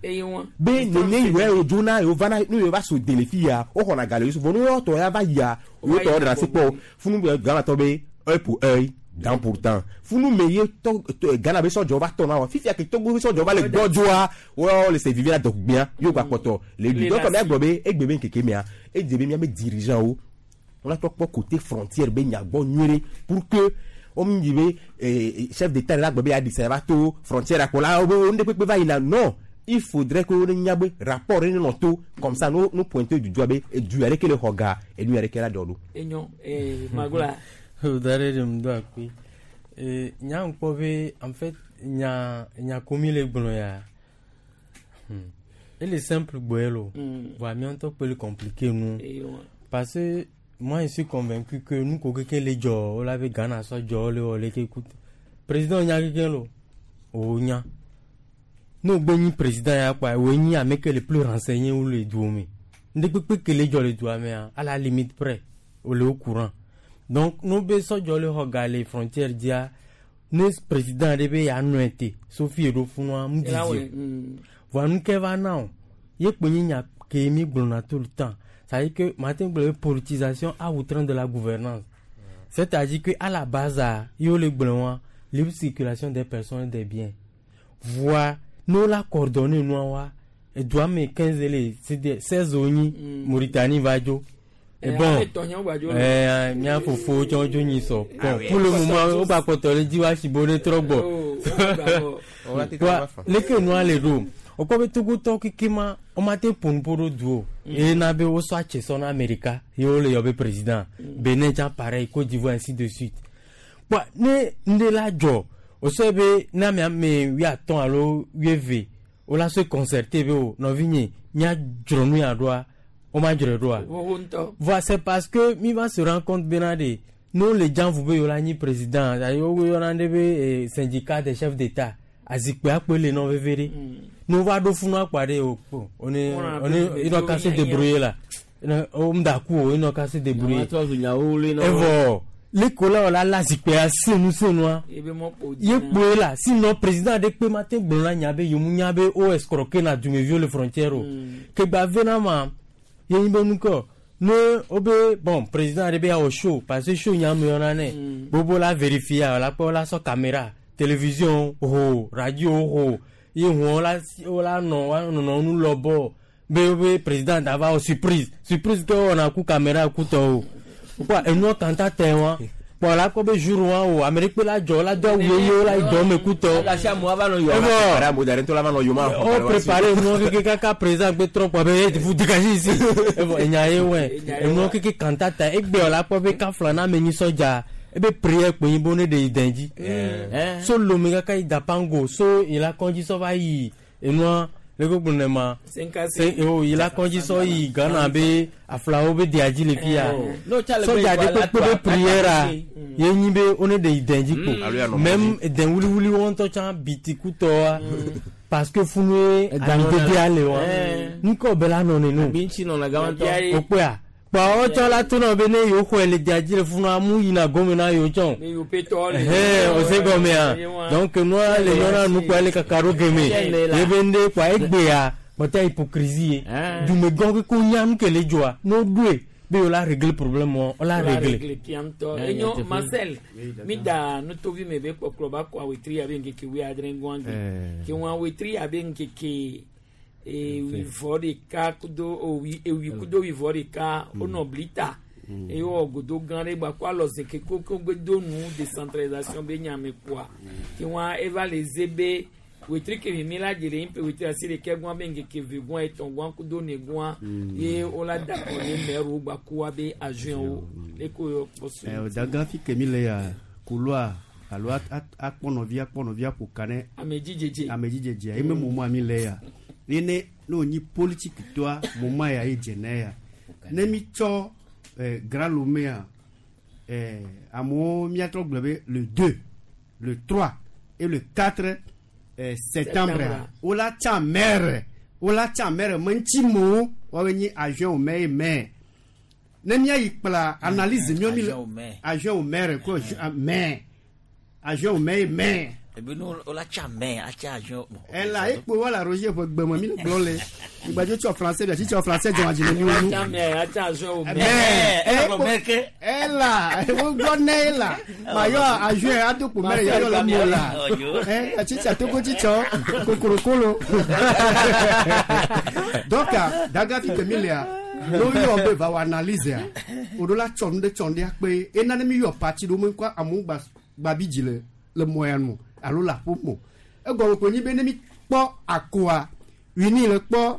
be nene yewo yewo dzona yewo vana ne yewo va so de le fi ya wo xɔna ga le yewo si vɔ ne woawo tɔ ya va yia yewo tɔ ɖena si kpɔ funu be Ghana tɔ be œil pour œil dent pour dent funu me ye tɔ Ghana be sɔdzɔ va tɔ na wa fifia ke Togo be sɔdzɔ va le gbɔdzɔa woawo le se vivi la dɔgbia yewo gba kpɔtɔ le ɖui donc mía gblɔ be egbe be ŋkeke mea edze be míabe dirigeant wo wona trɔ kpɔ côté frontière be nya gbɔ nyuie ɖe pour que womu yi be chef d'état la gblɔ be yeaɖi sa va to frontière akpɔ la wo wo ŋɖe kpekpe va yina non il faudrait que wone nya be rapport ɖe nenɔ to comme ça no no pointer du doigt be edu ya ɖeke le xɔ ga enu ya ɖeke la ɖɔ ɖo. Enyo Magola. O da ɖe ɖem do akpe. Nya ŋkpɔ be en fait nya nya ko mi le gblɔ ya. Ele simple gbɔe lo. Voa mía ŋutɔ kpe le compliqué nu. Parce que moi je suis convaincu que nu ko keke le dzɔ wo la be Ghana sɔ dzɔ wo le wɔ leke ku. Président nya keke lo. O nya. Ne wo gbe nyi président ya kpoa wo nyi ame ke le plus renseigné wu le duwo me. Ŋɖe kpekpe ke le dzɔ le dua mea à la limite près wo le au courant. Donc no be sɔdzɔ le xɔ ga le frontière dzia ne président ɖe be yeanɔe te sofi ɖo funua mu didi o. Voa nu ke va na o ye kpo nyi nya ke mi gblɔna tout le temps. C'est-à-dire que Martin gblɔ be politisation à outrance de la gouvernance. C'est-à-dire que à la base a ye wo le gblɔ wa Libre circulation des personnes et des biens. Voa ne wo la coordonner nua wa edua me 15 le c'est 16 wo nyi Mauritanie va dzo. Eh, Et bon, ame tɔnye wo gba dzo le. eh, mía fofowo tsɔ dzo nyi sɔ. Ah Bon, oui. pour le moment, wo gba kpɔtɔ le dzi wa si bo ne trɔ gbɔ. Oh, wo gba gbɔ. Wa leke nua le ɖo wokpɔ be togotɔwo keke ma womate ƒo nu ƒo ɖo du o eye na be wosɔ atse sɔ na Amerika ye wole yɔ be président Benin tsã pareil Côte d'Ivoire ainsi de suite kpɔa ne ŋɖe la dzɔ wosɔe be ne ame ame wuiatɔ̃ alo wuieve wola sɔe concerté be o nɔvinye míadzro nu ya ɖoa womadzroe ɖoa Wowo ŋutɔ. Voilà, c'est parce que mi va se rendre compte bena de nous les gens vous be yola nyi président ayo wo yɔna ɖe be eh, syndicat des chefs d'état azikpui akpe le nɔ veve ɖe ne wova ɖo funu akpa ɖe o kpo on est On a on est plus inɔ ka se de débrouiller la o mu da ku o inɔ ka se débrouiller Nyama trɔ zu nyawo wloe na wo. evɔ leko la wòla la zikpuia senu senua Ebe mɔ kpo ye kpoe la sinon président aɖe kpe ma te gblɔ na nya be yomu nya be o escroquer na dumeviwo le frontière o ke gba ve na ma ye nyi be nukɔ ne wo be bon président aɖe be yawɔ show parce que show nya me yɔna nɛ gbogbo la vérifier la kpɔ la sɔ caméra télévision ho radio ho ye huɔ la wo la nɔ wa nɔnɔ nu lɔbɔ be wo be président da va wɔ surprise surprise ke wɔna ku caméra ku tɔwo kpɔ enua kanta tɛ wa kpɔ la kpɔ be jour wa o ame ɖe kpe la dzɔ la do awu ye wo la yi dɔ me ku tɔ La si amewo ava nɔ yɔ. Evɔ. Amewo da ɖe ŋutɔ la va nɔ yoma xɔ o préparé enua keke kaka président gbe trɔ kpɔ be ye vous dégagez ici evɔ enya ye wɛ enua keke kanta ta egbe la kpɔ be kafla na ame nyi sɔdza ebe prière kpe nyi bo ne de yi dɛn dzi so lome kaka yi dapango so yi la kɔndzi sɔ va yi enua le ko gblɔ ne ma Senkase. se o yi la kɔndzi sɔ yi Ghana be aflawo be dea dzi le fi ya No, tsa le sɔdza gbe ɖe yi kpekpe la be toa, prière a ye nyi be wo ne de yi dɛn dzi Alo ya kpo nɔ même dɛn wuliwuli wo ŋutɔ tsã bitikutɔa parce que funue Ega amidede nɔna. ale wa Eh. ŋkɔ be la nɔ nenu Abi ŋuti nɔna gama ŋutɔ. o kpɔa kpɔ wotsɔ la to na be ne yewo xɔe le dea dzi le funua mu yina gome na yewo tsɔ Ne yewo pe tɔ le. ɛhɛn o se gɔmea donc nua le nyɔna nukpɔa le kaka ɖo geme ye be ŋɖe kpɔa egbea kpɔtɛ hypocrisie ye dumegã keke wonya nu ke le dzɔa ne woɖoe be yewo la régler problème wa wo la régler Réglé kia ŋutɔ. Eh, Enyo nyateƒe. Marcel, mi da nutovi me be kpɔkplɔ ba kɔ awetri abe ŋkeke wuiadre ŋgɔa gbe. Eh. Ke wɔn awetri abe ŋkeke ewuivɔ ɖeka kudo owi ewi kudo wuivɔ ɖeka wonɔ blita. Eye wowɔ godo gã ɖe gba kó alɔ zeke koko gbe do nu décentralisation be nyame kpoa. Ke wɔn eva le ze be wetri kemi mi la dze le ŋpe wetri asi ɖeke gɔa be ŋkeke ve gɔa etɔ̃ gɔa kudo ne gɔa ye wola da kɔ ne mɛriwo gba kó wa be agent wo leko yɔ kpɔ so. Eh, daga fi ke mi le ya koloa alo akpɔnɔvi akpɔnɔvi aƒo ka ne Amedzidzedze. amedzidzedzea ye me moma mi le ya ye ne ne wònyi politiki tɔa moma ya ye dze ne ya ne mi tsɔ eh, Grand Lomé eh, amewo miatrɔ gblɔ be le 2 le 3 et le 4 eh, septembre Septembre. wola tsa maire wola tsa maire me ŋuti mewo woawoe nyi adjoint au maire ye maire ne míayi kpla analyse míawo mi le Adjoint au maire. adjoint au maire ko maire adjoint au maire ye maire ebi nu wola tsa mɛ atsa adjoint. Bon, ela ekpo wala Roger ƒe gbeme mi le gblɔ le igbadzo tsɔ français bia tsitsɔ français dzɔna dzi ne mi wo nu. Atsa mɛ atsa adjoint au maire. Mɛ ela wo gbɔ ne ela mayɔ adjoint adokpo mɛrɛ yɔyɔ le mo la ɛ tsitsa togo tsitsɔ kokorokolo donc daga fi ke mi lea n'o yɔ be va wɔ analyse a o do la tsɔ nu ɖe tsɔ nu ɖe akpe ena ne mi yɔ parti ɖo me ŋkɔ amewo gba gba bi dzi le le mɔ ya nu alo le aƒe mo egɔme ko nyi be ne mi kpɔ akoa wini le kpɔ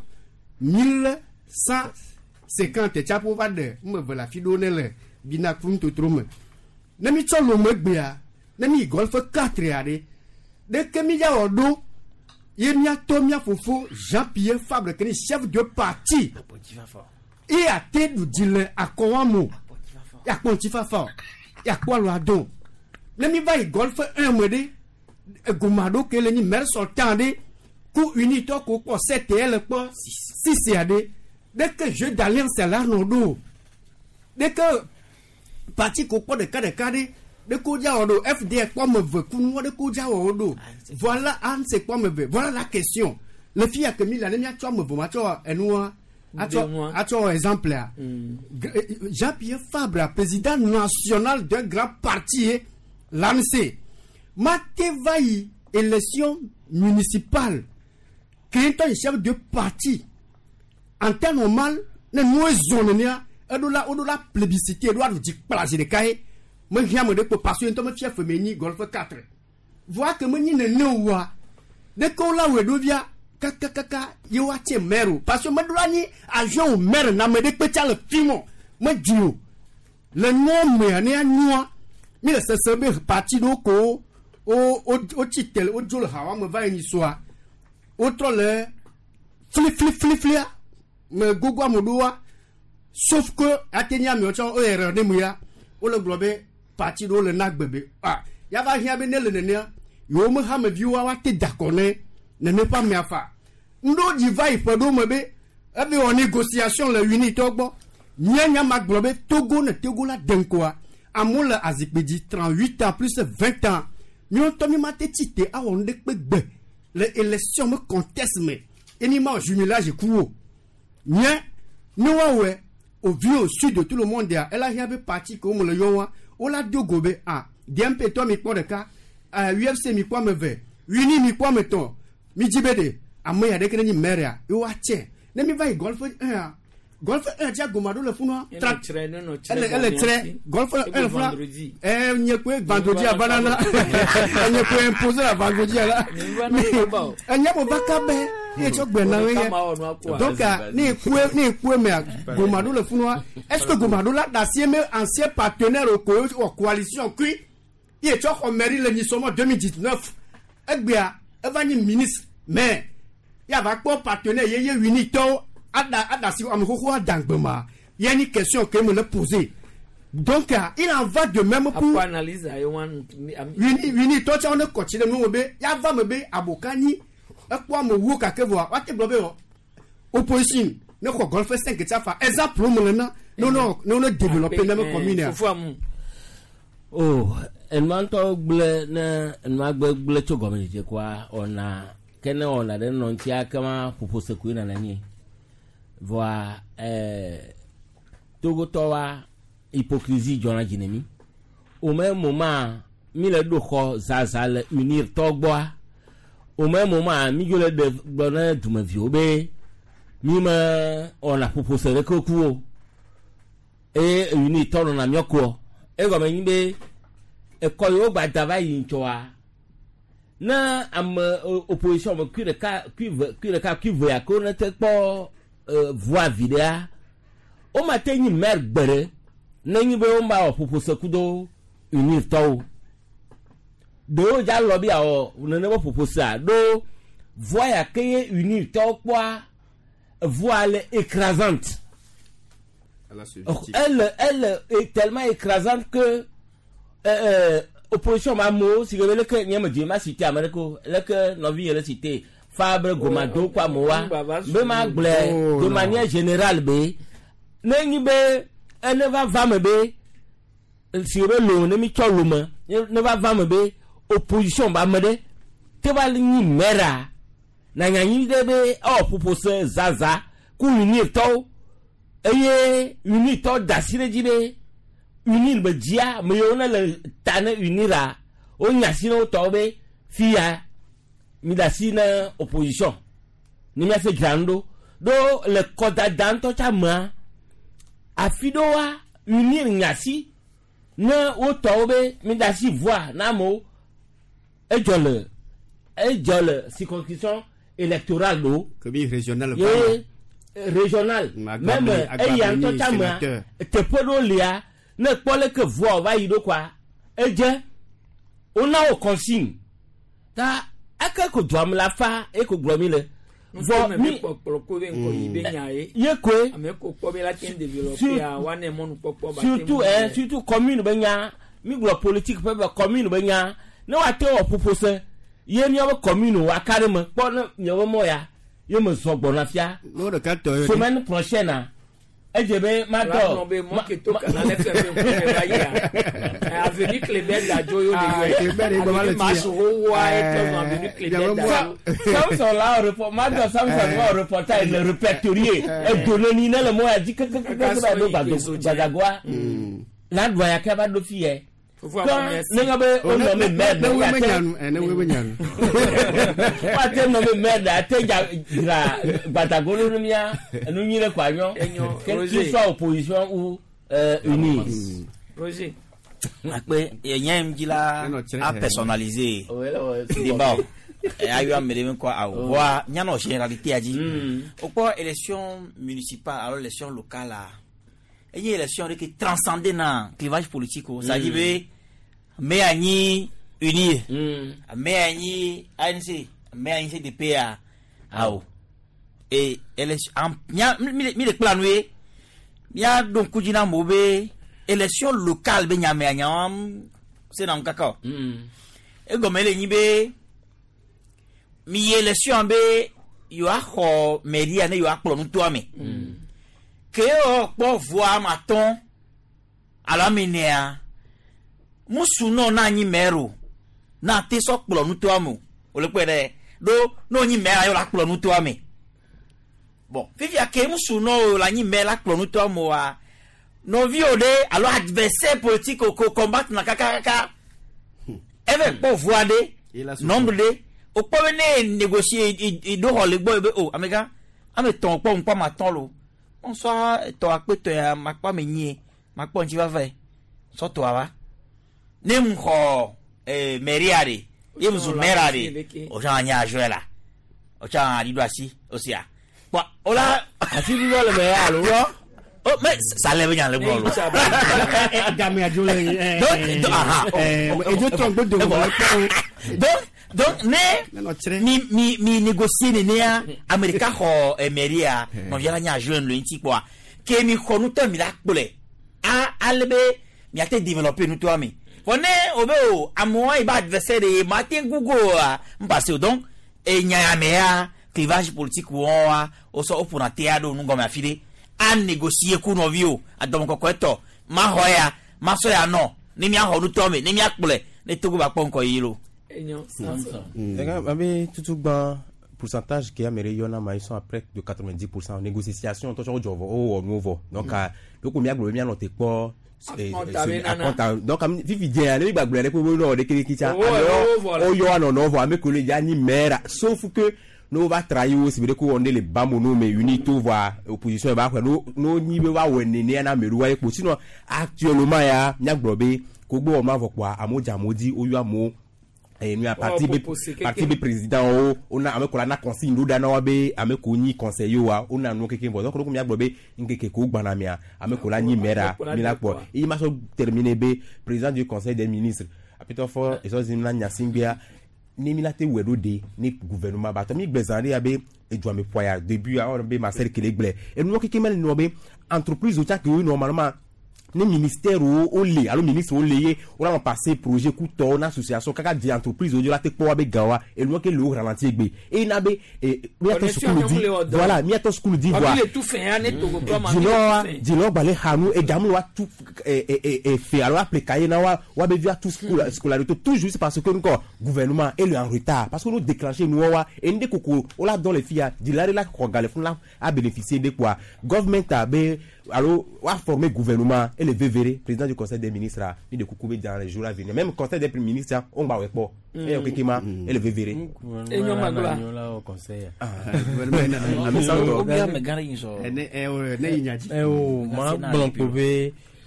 1150 tsaƒo va ɖe ŋme ve le afi ɖewo ne le binaku nutotro me ne mi tsɔ lome gbea ne mi yi golfe 4 ɖe ɖeke mi dza wɔ ɖo ye miatɔ mia fofo Jean Pierre Fabre ke ni chef de parti ye ate ɖu dzi le akɔwa mo yakpɔ ŋutifafa o yakpɔ alo ado ne mi va yi golfe 1 me ɖe egoma ɖo ke le nyi maire sortant ɖe ku unitɔ ko kpɔ 7 le kpɔ 6 ya ɖe ɖeke jeu d'alliance la nɔ ɖo ɖeke parti ko kpɔ ɖeka ɖeka ɖe ɖeke wodza wɔ ɖo FDR kpɔ ame eve kunu ɖeke wodza wɔ wo ɖo voilà ANC kpɔ ame eve voilà la question le fi ya ke mi le ne miatsɔ ame eve matsɔ enua atsɔ Nua. atsɔ exemple ya Jean-Pierre Fabre président national d'un grand parti ye l'ANC Ma te va yi élection municipale ke ŋutɔ yi chef de parti en temps normal ne nuwo zɔn nenea eɖo la woɖo la plébiscité eɖo aɖu dzi kpla zi ɖeka ye mehiã ame ɖe kpo parce que ŋutɔ mefia feme nyi golfe 4 voa ke menyi nene oa ɖeke wola wɔe ɖo via kakakaka ye woatse maire o parce que meɖo la nyi agent au maire na ame ɖe kpe tsa le fi mɔ medzi o le nua mea ne anua mi le sese be parti ɖewo ko wo wo wotsi te wodzo le hawa me va yi nyi soa wotrɔ le fliflifliflia me gogo ame ɖewoa sauf que ate nye amewo tsɔ wo erreur ne mu ya wole gblɔ be parti ɖewo le na gbe be ah yava hiã be ne le nenea yewo me hameviwoa woate da akɔ ne nene ƒe amea fa ŋɖewo dzi va yi ƒe ɖewo me be ebe wɔ négociation le unitɔ gbɔ mía nya ma gblɔ be Togo ne Togo la de ŋkɔa amewo le azikpui dzi 38 ans plus 20 ans míawo ŋutɔ mi ma te tsi te awɔ nu ɖe kpe gbe le élection me contexte me eni ma wɔ jumelage ku o nye ne woawɔe au vu au sud de tout le monde ya ela hiã be parti ke wo me le yɔ wa wola do go be ah DMP tɔ mi kpɔ ɖeka UFC mi kpɔ ame eve UNI mi kpɔ ame etɔ̃ mi dzi be ɖe ame ya ɖeke ne nyi maire ya ye woatse ne mi va yi golfe 1 a golfe 1 tsia goma ɖo le funua ele ele tsrɛ golfe 1 le funua ɛ nye koe vendredi avana na enye koe imposé la vendredi la enye mo va kabe ye tsɔ gbe na ye donc ne ekue ne ekue mea goma ɖo le funua est ce que goma ɖo la da si me ancien partenaire o ko wɔ coalition kui ye tsɔ xɔ mairie le nyisɔmɔ 2019 egbea eva nyi ministre mais yava kpɔ partenaire ye ye unitɔwo ada ada si ame xoxo adangbe ma ye ni question ke me le poser donc il en va de même pour analyse ayi wan uni unitɔ tsa ne kɔtsi ɖe nu wo be yava me be aboka nyi ekpɔ ame wo kake vɔa woate gblɔ be wɔ opposition ne xɔ golfe 5 tsa fa exemple wo me le na ne wo ne wo développer ne me commune ya. o enua ŋutɔ gblẽ ne enua gbe gblẽ tso gɔmedzedze koa ɔna ke ne ɔna ɖe nɔ ŋutia kema ƒoƒo sekoe nana nyi vɔa Togotɔwoa hypocrisie dzɔna dzi ne mi o me moment mi le ɖo xɔ zaza le unir tɔ gbɔa o me moment mi dzo le ɖe gblɔ ne dumeviwo be mi me ɔna ƒoƒo se ɖeke ku o eye unir tɔ nɔna miɔ koɔ egɔme nyi be ekɔ yiwo gba da va yi ŋtsɔa ne ame opposition me kui ɖeka kui ve kui ɖeka kui ve ya ko ne te kpɔ voa vi ɖea wo ma te nyi maire gbe ɖe ne nyi be wo ma wɔ ƒoƒo se kudo unir tɔwo ɖewo dza lɔ bi awɔ nene be ƒoƒo sea ɖo voa ya ke ye unir tɔwo kpɔa voa le écrasante elle est tellement écrasante que opposition ma amewo si ke be leke nye me dzi ma cité ame ɖeke o leke nɔvi yɛ le cité Fabre Gomado kɔ amewoa be ma gblɔe de manière générale be ne nyi be ene va va me be si ke be lo ne mi tsɔ lo me ne va va me be opposition ba ame ɖe te va nyi maire na nyanyi ɖe be ewɔ ƒoƒo se zaza ku unir tɔwo eye unir tɔwo da asi ɖe dzi be unir be dzia ame yiwo ne le ta ne unira wonya asi ne wo tɔwo be fia mi da asi ne opposition ne miase dzra nu ɖo ɖo le kɔdada ŋutɔ tsa mea afi ɖewoa unir nya asi ne wo tɔwo be mi da asi voa na amewo edzɔ le edzɔ le circonscription électorale ɖo kebi régional ye régional même eya ŋutɔ tsa mea teƒe ɖewo lia ne kpɔ leke voa va yi ɖo koa edze wona wo consigne ta eke ko dua me la fa eko gblɔ mi le vɔ mi kpɔkplɔ ko be ŋkɔ yi be nya ye ye koe ame ko kpɔ be la te développer a wa ne mɔnu kpɔkpɔ ba surtout surtout commune be nya mi gblɔ politique ƒe be commune be nya ne woate wɔ ƒoƒo se ye miabe commune wa ka ɖe me kpɔ ne miabe mɔ ya ye me zɔ gbɔna fia semaine prochaine a edze be ma dɔ be mɔ ke to kana le fɛ be ŋkume va yia avenue Kléber Dadzo yo le yɔ avenue Masoro wa etɔ zɔn avenue Kléber Dadzo. Samson la report ma dɔ Samson wa reportage le répertorier edoneni ne le mɔ ya dzi kekekeke ba ɖo gbadagoa la ɖua ya ke va ɖo fi yɛ Quand ne ŋa be o nɔ me maire Ne wo me nyanu, ne wo me nyanu. Wa te nɔ me maire ate dza dzra gbadagolo nu mia enu nyui ɖe kɔ anyɔ. Que tu sois opposition ou uni. Roger. Akpe nye ŋdzi la a personnaliser débat o. Ayɔ ame ɖe ŋkɔ awo. Voa mianɔ généralité dzi. Wokpɔ élection municipale alo élection locale a enye élection ɖe ke transcender na clivage politique o. C'est à dire be ame ya nyi UNIR, ame ya nyi ANC, ame ya nyi CDP a awo. Et élection mia mi le kpla nu ye miaɖo ŋku dzi na amewo be élection locale be nyamea nyawoa sena ŋu kaka o. Egɔme le nyi be mi yi élection be yewoaxɔ mairie ne yewoakplɔ nutoa me. Ke yewɔ kpɔ voa ame atɔ̃ alo ame enea musu nɔ na anyi maire o na te sɔ kplɔ nutoa me o. Wòle kpɔe ɖe ɖo ne wonyi maire yewo la kplɔ nutoa me. Bon, fifia ke musu nɔ o le anyi maire la kplɔ nutoa me oa nɔviwo ɖe alo adversaire politique ko combattre na kakakaka eve kpɔ voa ɖe nombre ɖe o kpɔ be ne négocier i ɖo xɔ le gbɔ ye be o amegã ame tɔn kpɔ ŋkpɔ ame atɔ̃ lo ŋsɔ tɔ akpe tɔ ya makpɔ ame nyie makpɔ ŋuti va vɛ sɔ tɔa va ne mu xɔ mairie ɖe ye mu zu maire ɖe o tsã anya adjoint la o tsã aɖi ɖo asi o sia kpɔ o la asi ɖuɖɔ le me ya alo. Oh, mais ça lève nya le gbɔ lo. Game adzo le. Donc, aha. Edzo trɔ gbodo wɔ kpɔ. Donc ne mi négocier nenea ame ɖeka xɔ mairie ya nɔvia la nye adjoint le ŋuti kpɔa ke mi xɔ nutɔ mi la kplɔe a ale be miate développer nutoa me vɔ ne o be o amewo yi ba adversaire de ma te ŋu go oa n passe o. Donc enya ya me ya clivage politique wɔn wa o sɔ o ƒona tea ɖo nu gɔme afi ɖe a négocier ku nɔviwo adɔmɔkɔkɔe tɔ ma xɔ ya ma sɔ ya nɔ ne miaxɔ nutɔ me ne miakplɔe ne Togo ba kpɔ ŋkɔ yi lo. Abe tutu gbã pourcentage qui a mérité yona ma ils sont à près de 90% négociation to so jovo o wo nu donc donc mi agbo mi anote kpɔ donc fifi dze ale mi gbagblɔ ɖe ko no de kiri kitsa o yo ano no vo ame ko le ya ni maire sauf que no va trahir aussi be ko on le bamono mais unito voit opposition ba no no ni be wa we nene na meru wa epo sinon actuellement ya mi agblɔ be ko gbo ma vo kwa amoja modi o yo amo et nous a parti parti président o on a avec la consigne nous dana wa be ame ko ni conseiller wa on a nous quelqu'un donc donc mi agblɔ be nkeke ko gbana mia ame ko la ni maire mi la kpɔ il m'a terminé be président du conseil des ministres apito fort et so zimla nyasingbia ni mi la te wɛɖo de ni gouvernement ba tɔ mi gbɛzan de ya be edzuame ƒoa début a be Marcel Kele gblɛ enuwɔ keke mele nɔ be entreprise o tsa ke wo normalement ni ministère o le alo ministre o le ye o la passé projet ku tɔ na association kaka di entreprise o la te kpɔ wa be gan wa enuwɔ ke le o ralenti egbe eye na be miatɔ sukulu di voilà miatɔ sukulu di voa dzinɔ gbalẽ xanu egamu wa tu fe alo aple kaye na wa wa be via tu scolarité tout juste parce que nukɔ gouvernement est en retard parce que nous déclencher nuwɔ wa ende koko o la dɔn le fia dzila de la xɔ gale fún la a bénéficier de quoi government a be alo wa former gouvernement et le VVR président du conseil des ministres ni de Koukoubé dans les jours à venir même conseil des ministres on va pas et okekema et le VVR et nyo magla au conseil ma blanc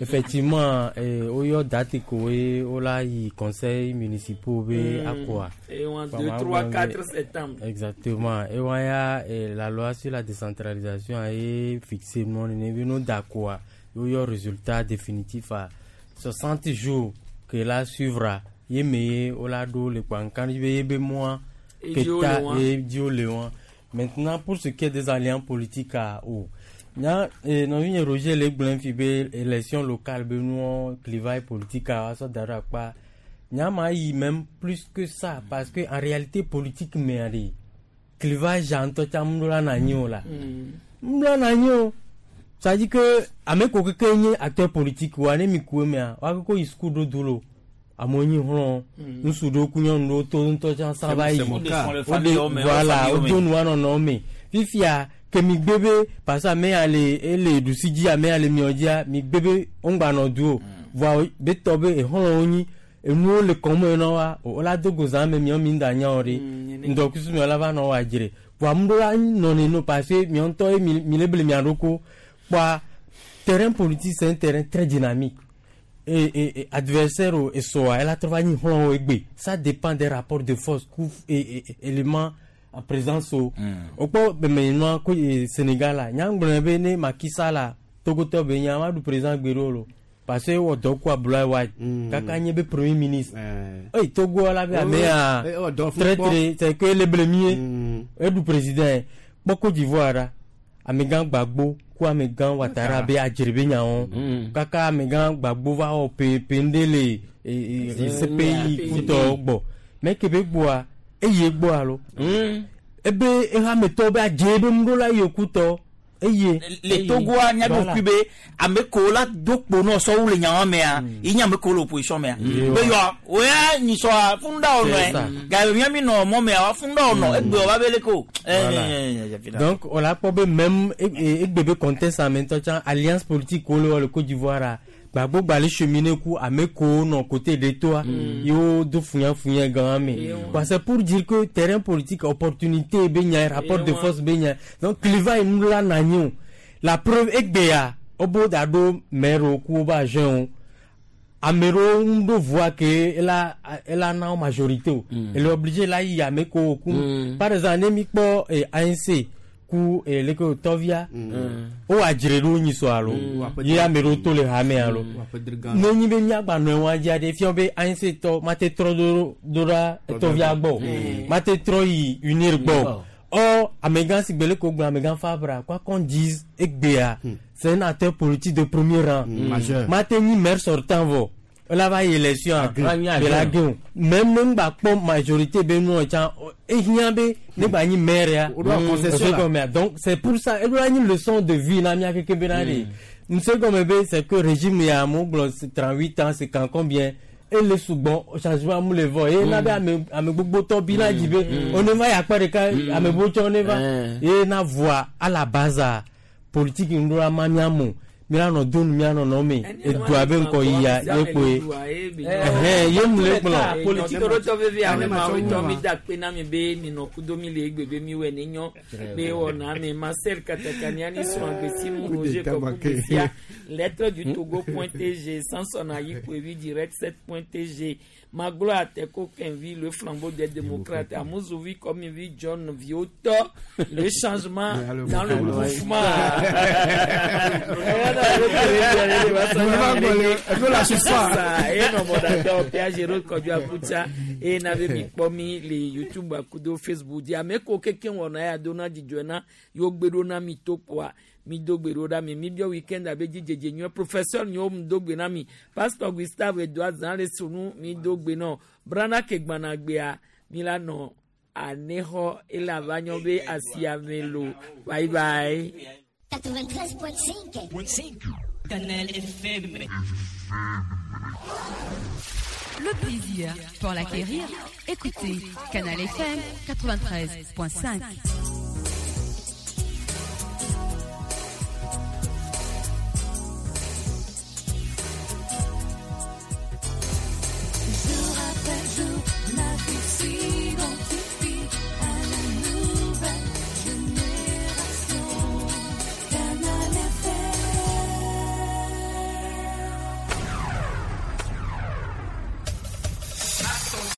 effectivement oyo date ko ola yi conseil municipal be akwa et 1 2 3 4 septembre exactement et waya la loi sur la décentralisation a fixé non ne no d'accord yo résultat définitif à 60 jours que la suivra yemeye ola do le kwankan be moi que et dio léon. Maintenant pour ce qui est des alliances politiques à o nya nɔvi Roger le gblẽ fi be élection locale be nuɔ clivage politique a sɔ da ɖe akpa nya ma yi même plus que ça parce que en réalité politique mea ɖe clivage ŋutɔ tsa ŋu la na anyi o la ŋu la na anyi o. Ça dit que ame ko keke nye acteur politique wa ne mi ku emea wa koko yi suku ɖo du lo amewo nyi hlɔ̃ ŋutsu ɖewo ku nyɔnu ɖewo to ŋutɔ tsa sã va yi voilà wodo nua nɔnɔ me fifia ke mi gbe be parce que ame ya le ele ɖusi dzi ame ya le miɔ dzia mi gbe be ŋgba nɔ du o voa be tɔ be exɔlɔ̃wo nyi enuwo le kɔme na wa o la do go zã me miɔ mi da nya o ɖe ŋdɔkusu miɔ la va nɔ wa dzre voa ame ɖewo la nɔ neno parce que miɔ ŋutɔ ye mi mi le ble mia ɖoko kpoa terrain politique c'est un terrain très dynamique et adversaire o esɔa ela trɔ va nyi xlɔ̃wo egbe. Ça dépend des rapports de force ku et éléments en présence o. Wokpɔ bɛmɛnua ko Sénégal la nyagblɔ be ne Macky Sall la Togotɔ be nya ma ɖu président gbe ɖo lo parce que ewɔ dɔ ku Abdoulaye Wade kaka nye be premier ministre. Eyi Togo la be amea très très c'est que le blemier eɖu président kpɔ Côte d'Ivoire la amegã Gbagbo ku amegã Ouattara be adzre be nyawo kaka amegã Gbagbo va wɔ pe ŋɖe le CPI kutɔwo gbɔ mais ke be gbɔa eye gbɔ alo ebe ehametɔwo be adze be ŋuɖo la yi kutɔ eye. Le Togoa míaɖo kui be ame kewo la do kpo nɔ sɔwu le nyawo mea yi nye ame kewo le opposition mea be yɔ woya nyisɔa funda wo nɔe gaye mía mi nɔ mɔ mea wa funda wo nɔ egbe wa be leke o. Voilà. Donc on l'a pas be même egbe be contexte en même temps tsã alliance politique wo le wɔ le Côte d'Ivoire a Gbagbo gba le cheminer ku ame kewo nɔ côté de toa yewo do funyafunya gã me quoi. C'est pour dire que terrain politique opportunité be nya rapport de force be nya donc clivage nu la na nyi o. La preuve egbea wobo da ɖo maire wo ku wo be agent wo ame ɖewo ŋu ɖo voix ke ela ela na wo majorité o ele obligé la yi ame kewo ku. Par exemple ne mi kpɔ ANC ku leke o tɔvia wo adzre ɖo nyisɔ alo ye ame ɖewo to le hame alo ne nyi be miagba nɔ wa dzi aɖe fia be ANC tɔ mate trɔ do do ɖa tɔvia gbɔ o mate trɔ yi UNIR gbɔ o. Or amegã si gbele ko gblɔ amegã Fabra, quoi qu'on dise, egbea c'est un acteur politique de premier rang. Majeur. Mate nyi maire sortant vɔ ela va yi élection a de la gɛn o même ne ŋgba kpɔ majorité be nuɔ tsã ehiã be ne gba nyi maire ya. O ɖo concession la. Ose gɔmea donc c'est pour ça eɖo la nyi leçon de vie na mía keke bena de nse gɔme be c'est que régime ya amewo gblɔ 38 ans c'est quand combien ele sugbɔn changement mu le vɔ ye na be ame ame gbogbotɔ bi na dzi be one va yi akpa ɖeka ame gbogbo ne va ye na voa à la base a politique ŋɖo ma mía mo míanɔ do nu mía nɔnɔ me edua be ŋkɔ yia ye kpoe ɛhɛn ye mu le gblɔ. Politique ɖo tɔ vevi ame ma wo tɔ mi da kpe na mi be mi nɔ kudo mi le egbe be mi wɔ ne nyɔ be wɔna ame Marcel Katakani ani srɔ̃ agbesimu Roger Kɔku lettre du Togo point tg Samson Ayikoevi direct 7 point tg Maglo Ateko Kenvi le flambeau des démocrates Amouzovi Komivi John Viotɔ le changement dans le mouvement. Eye nɔ mɔɖatɔ Pia Jero Kɔdu Akutsa eye na be mi kpɔ mi le YouTube akudo Facebook dzi ame ko keke wɔna ya do na dzidzɔe na yewo gbe ɖo na mi to kpoa mi do gbe ɖo ɖa mi mi biɔ weekend abe dzidzedze nyuie professeur nyewo mi do gbe na mi pasteur Gustave Edouard Zan le sunu mi do gbe nɔ brana ke gbana gbea mi la nɔ anexɔ ele ava nyɔ be asiame lo. Bye bye. 93.5. Canal FM. Le plaisir, pour l'acquérir, écoutez Canal FM 93.5.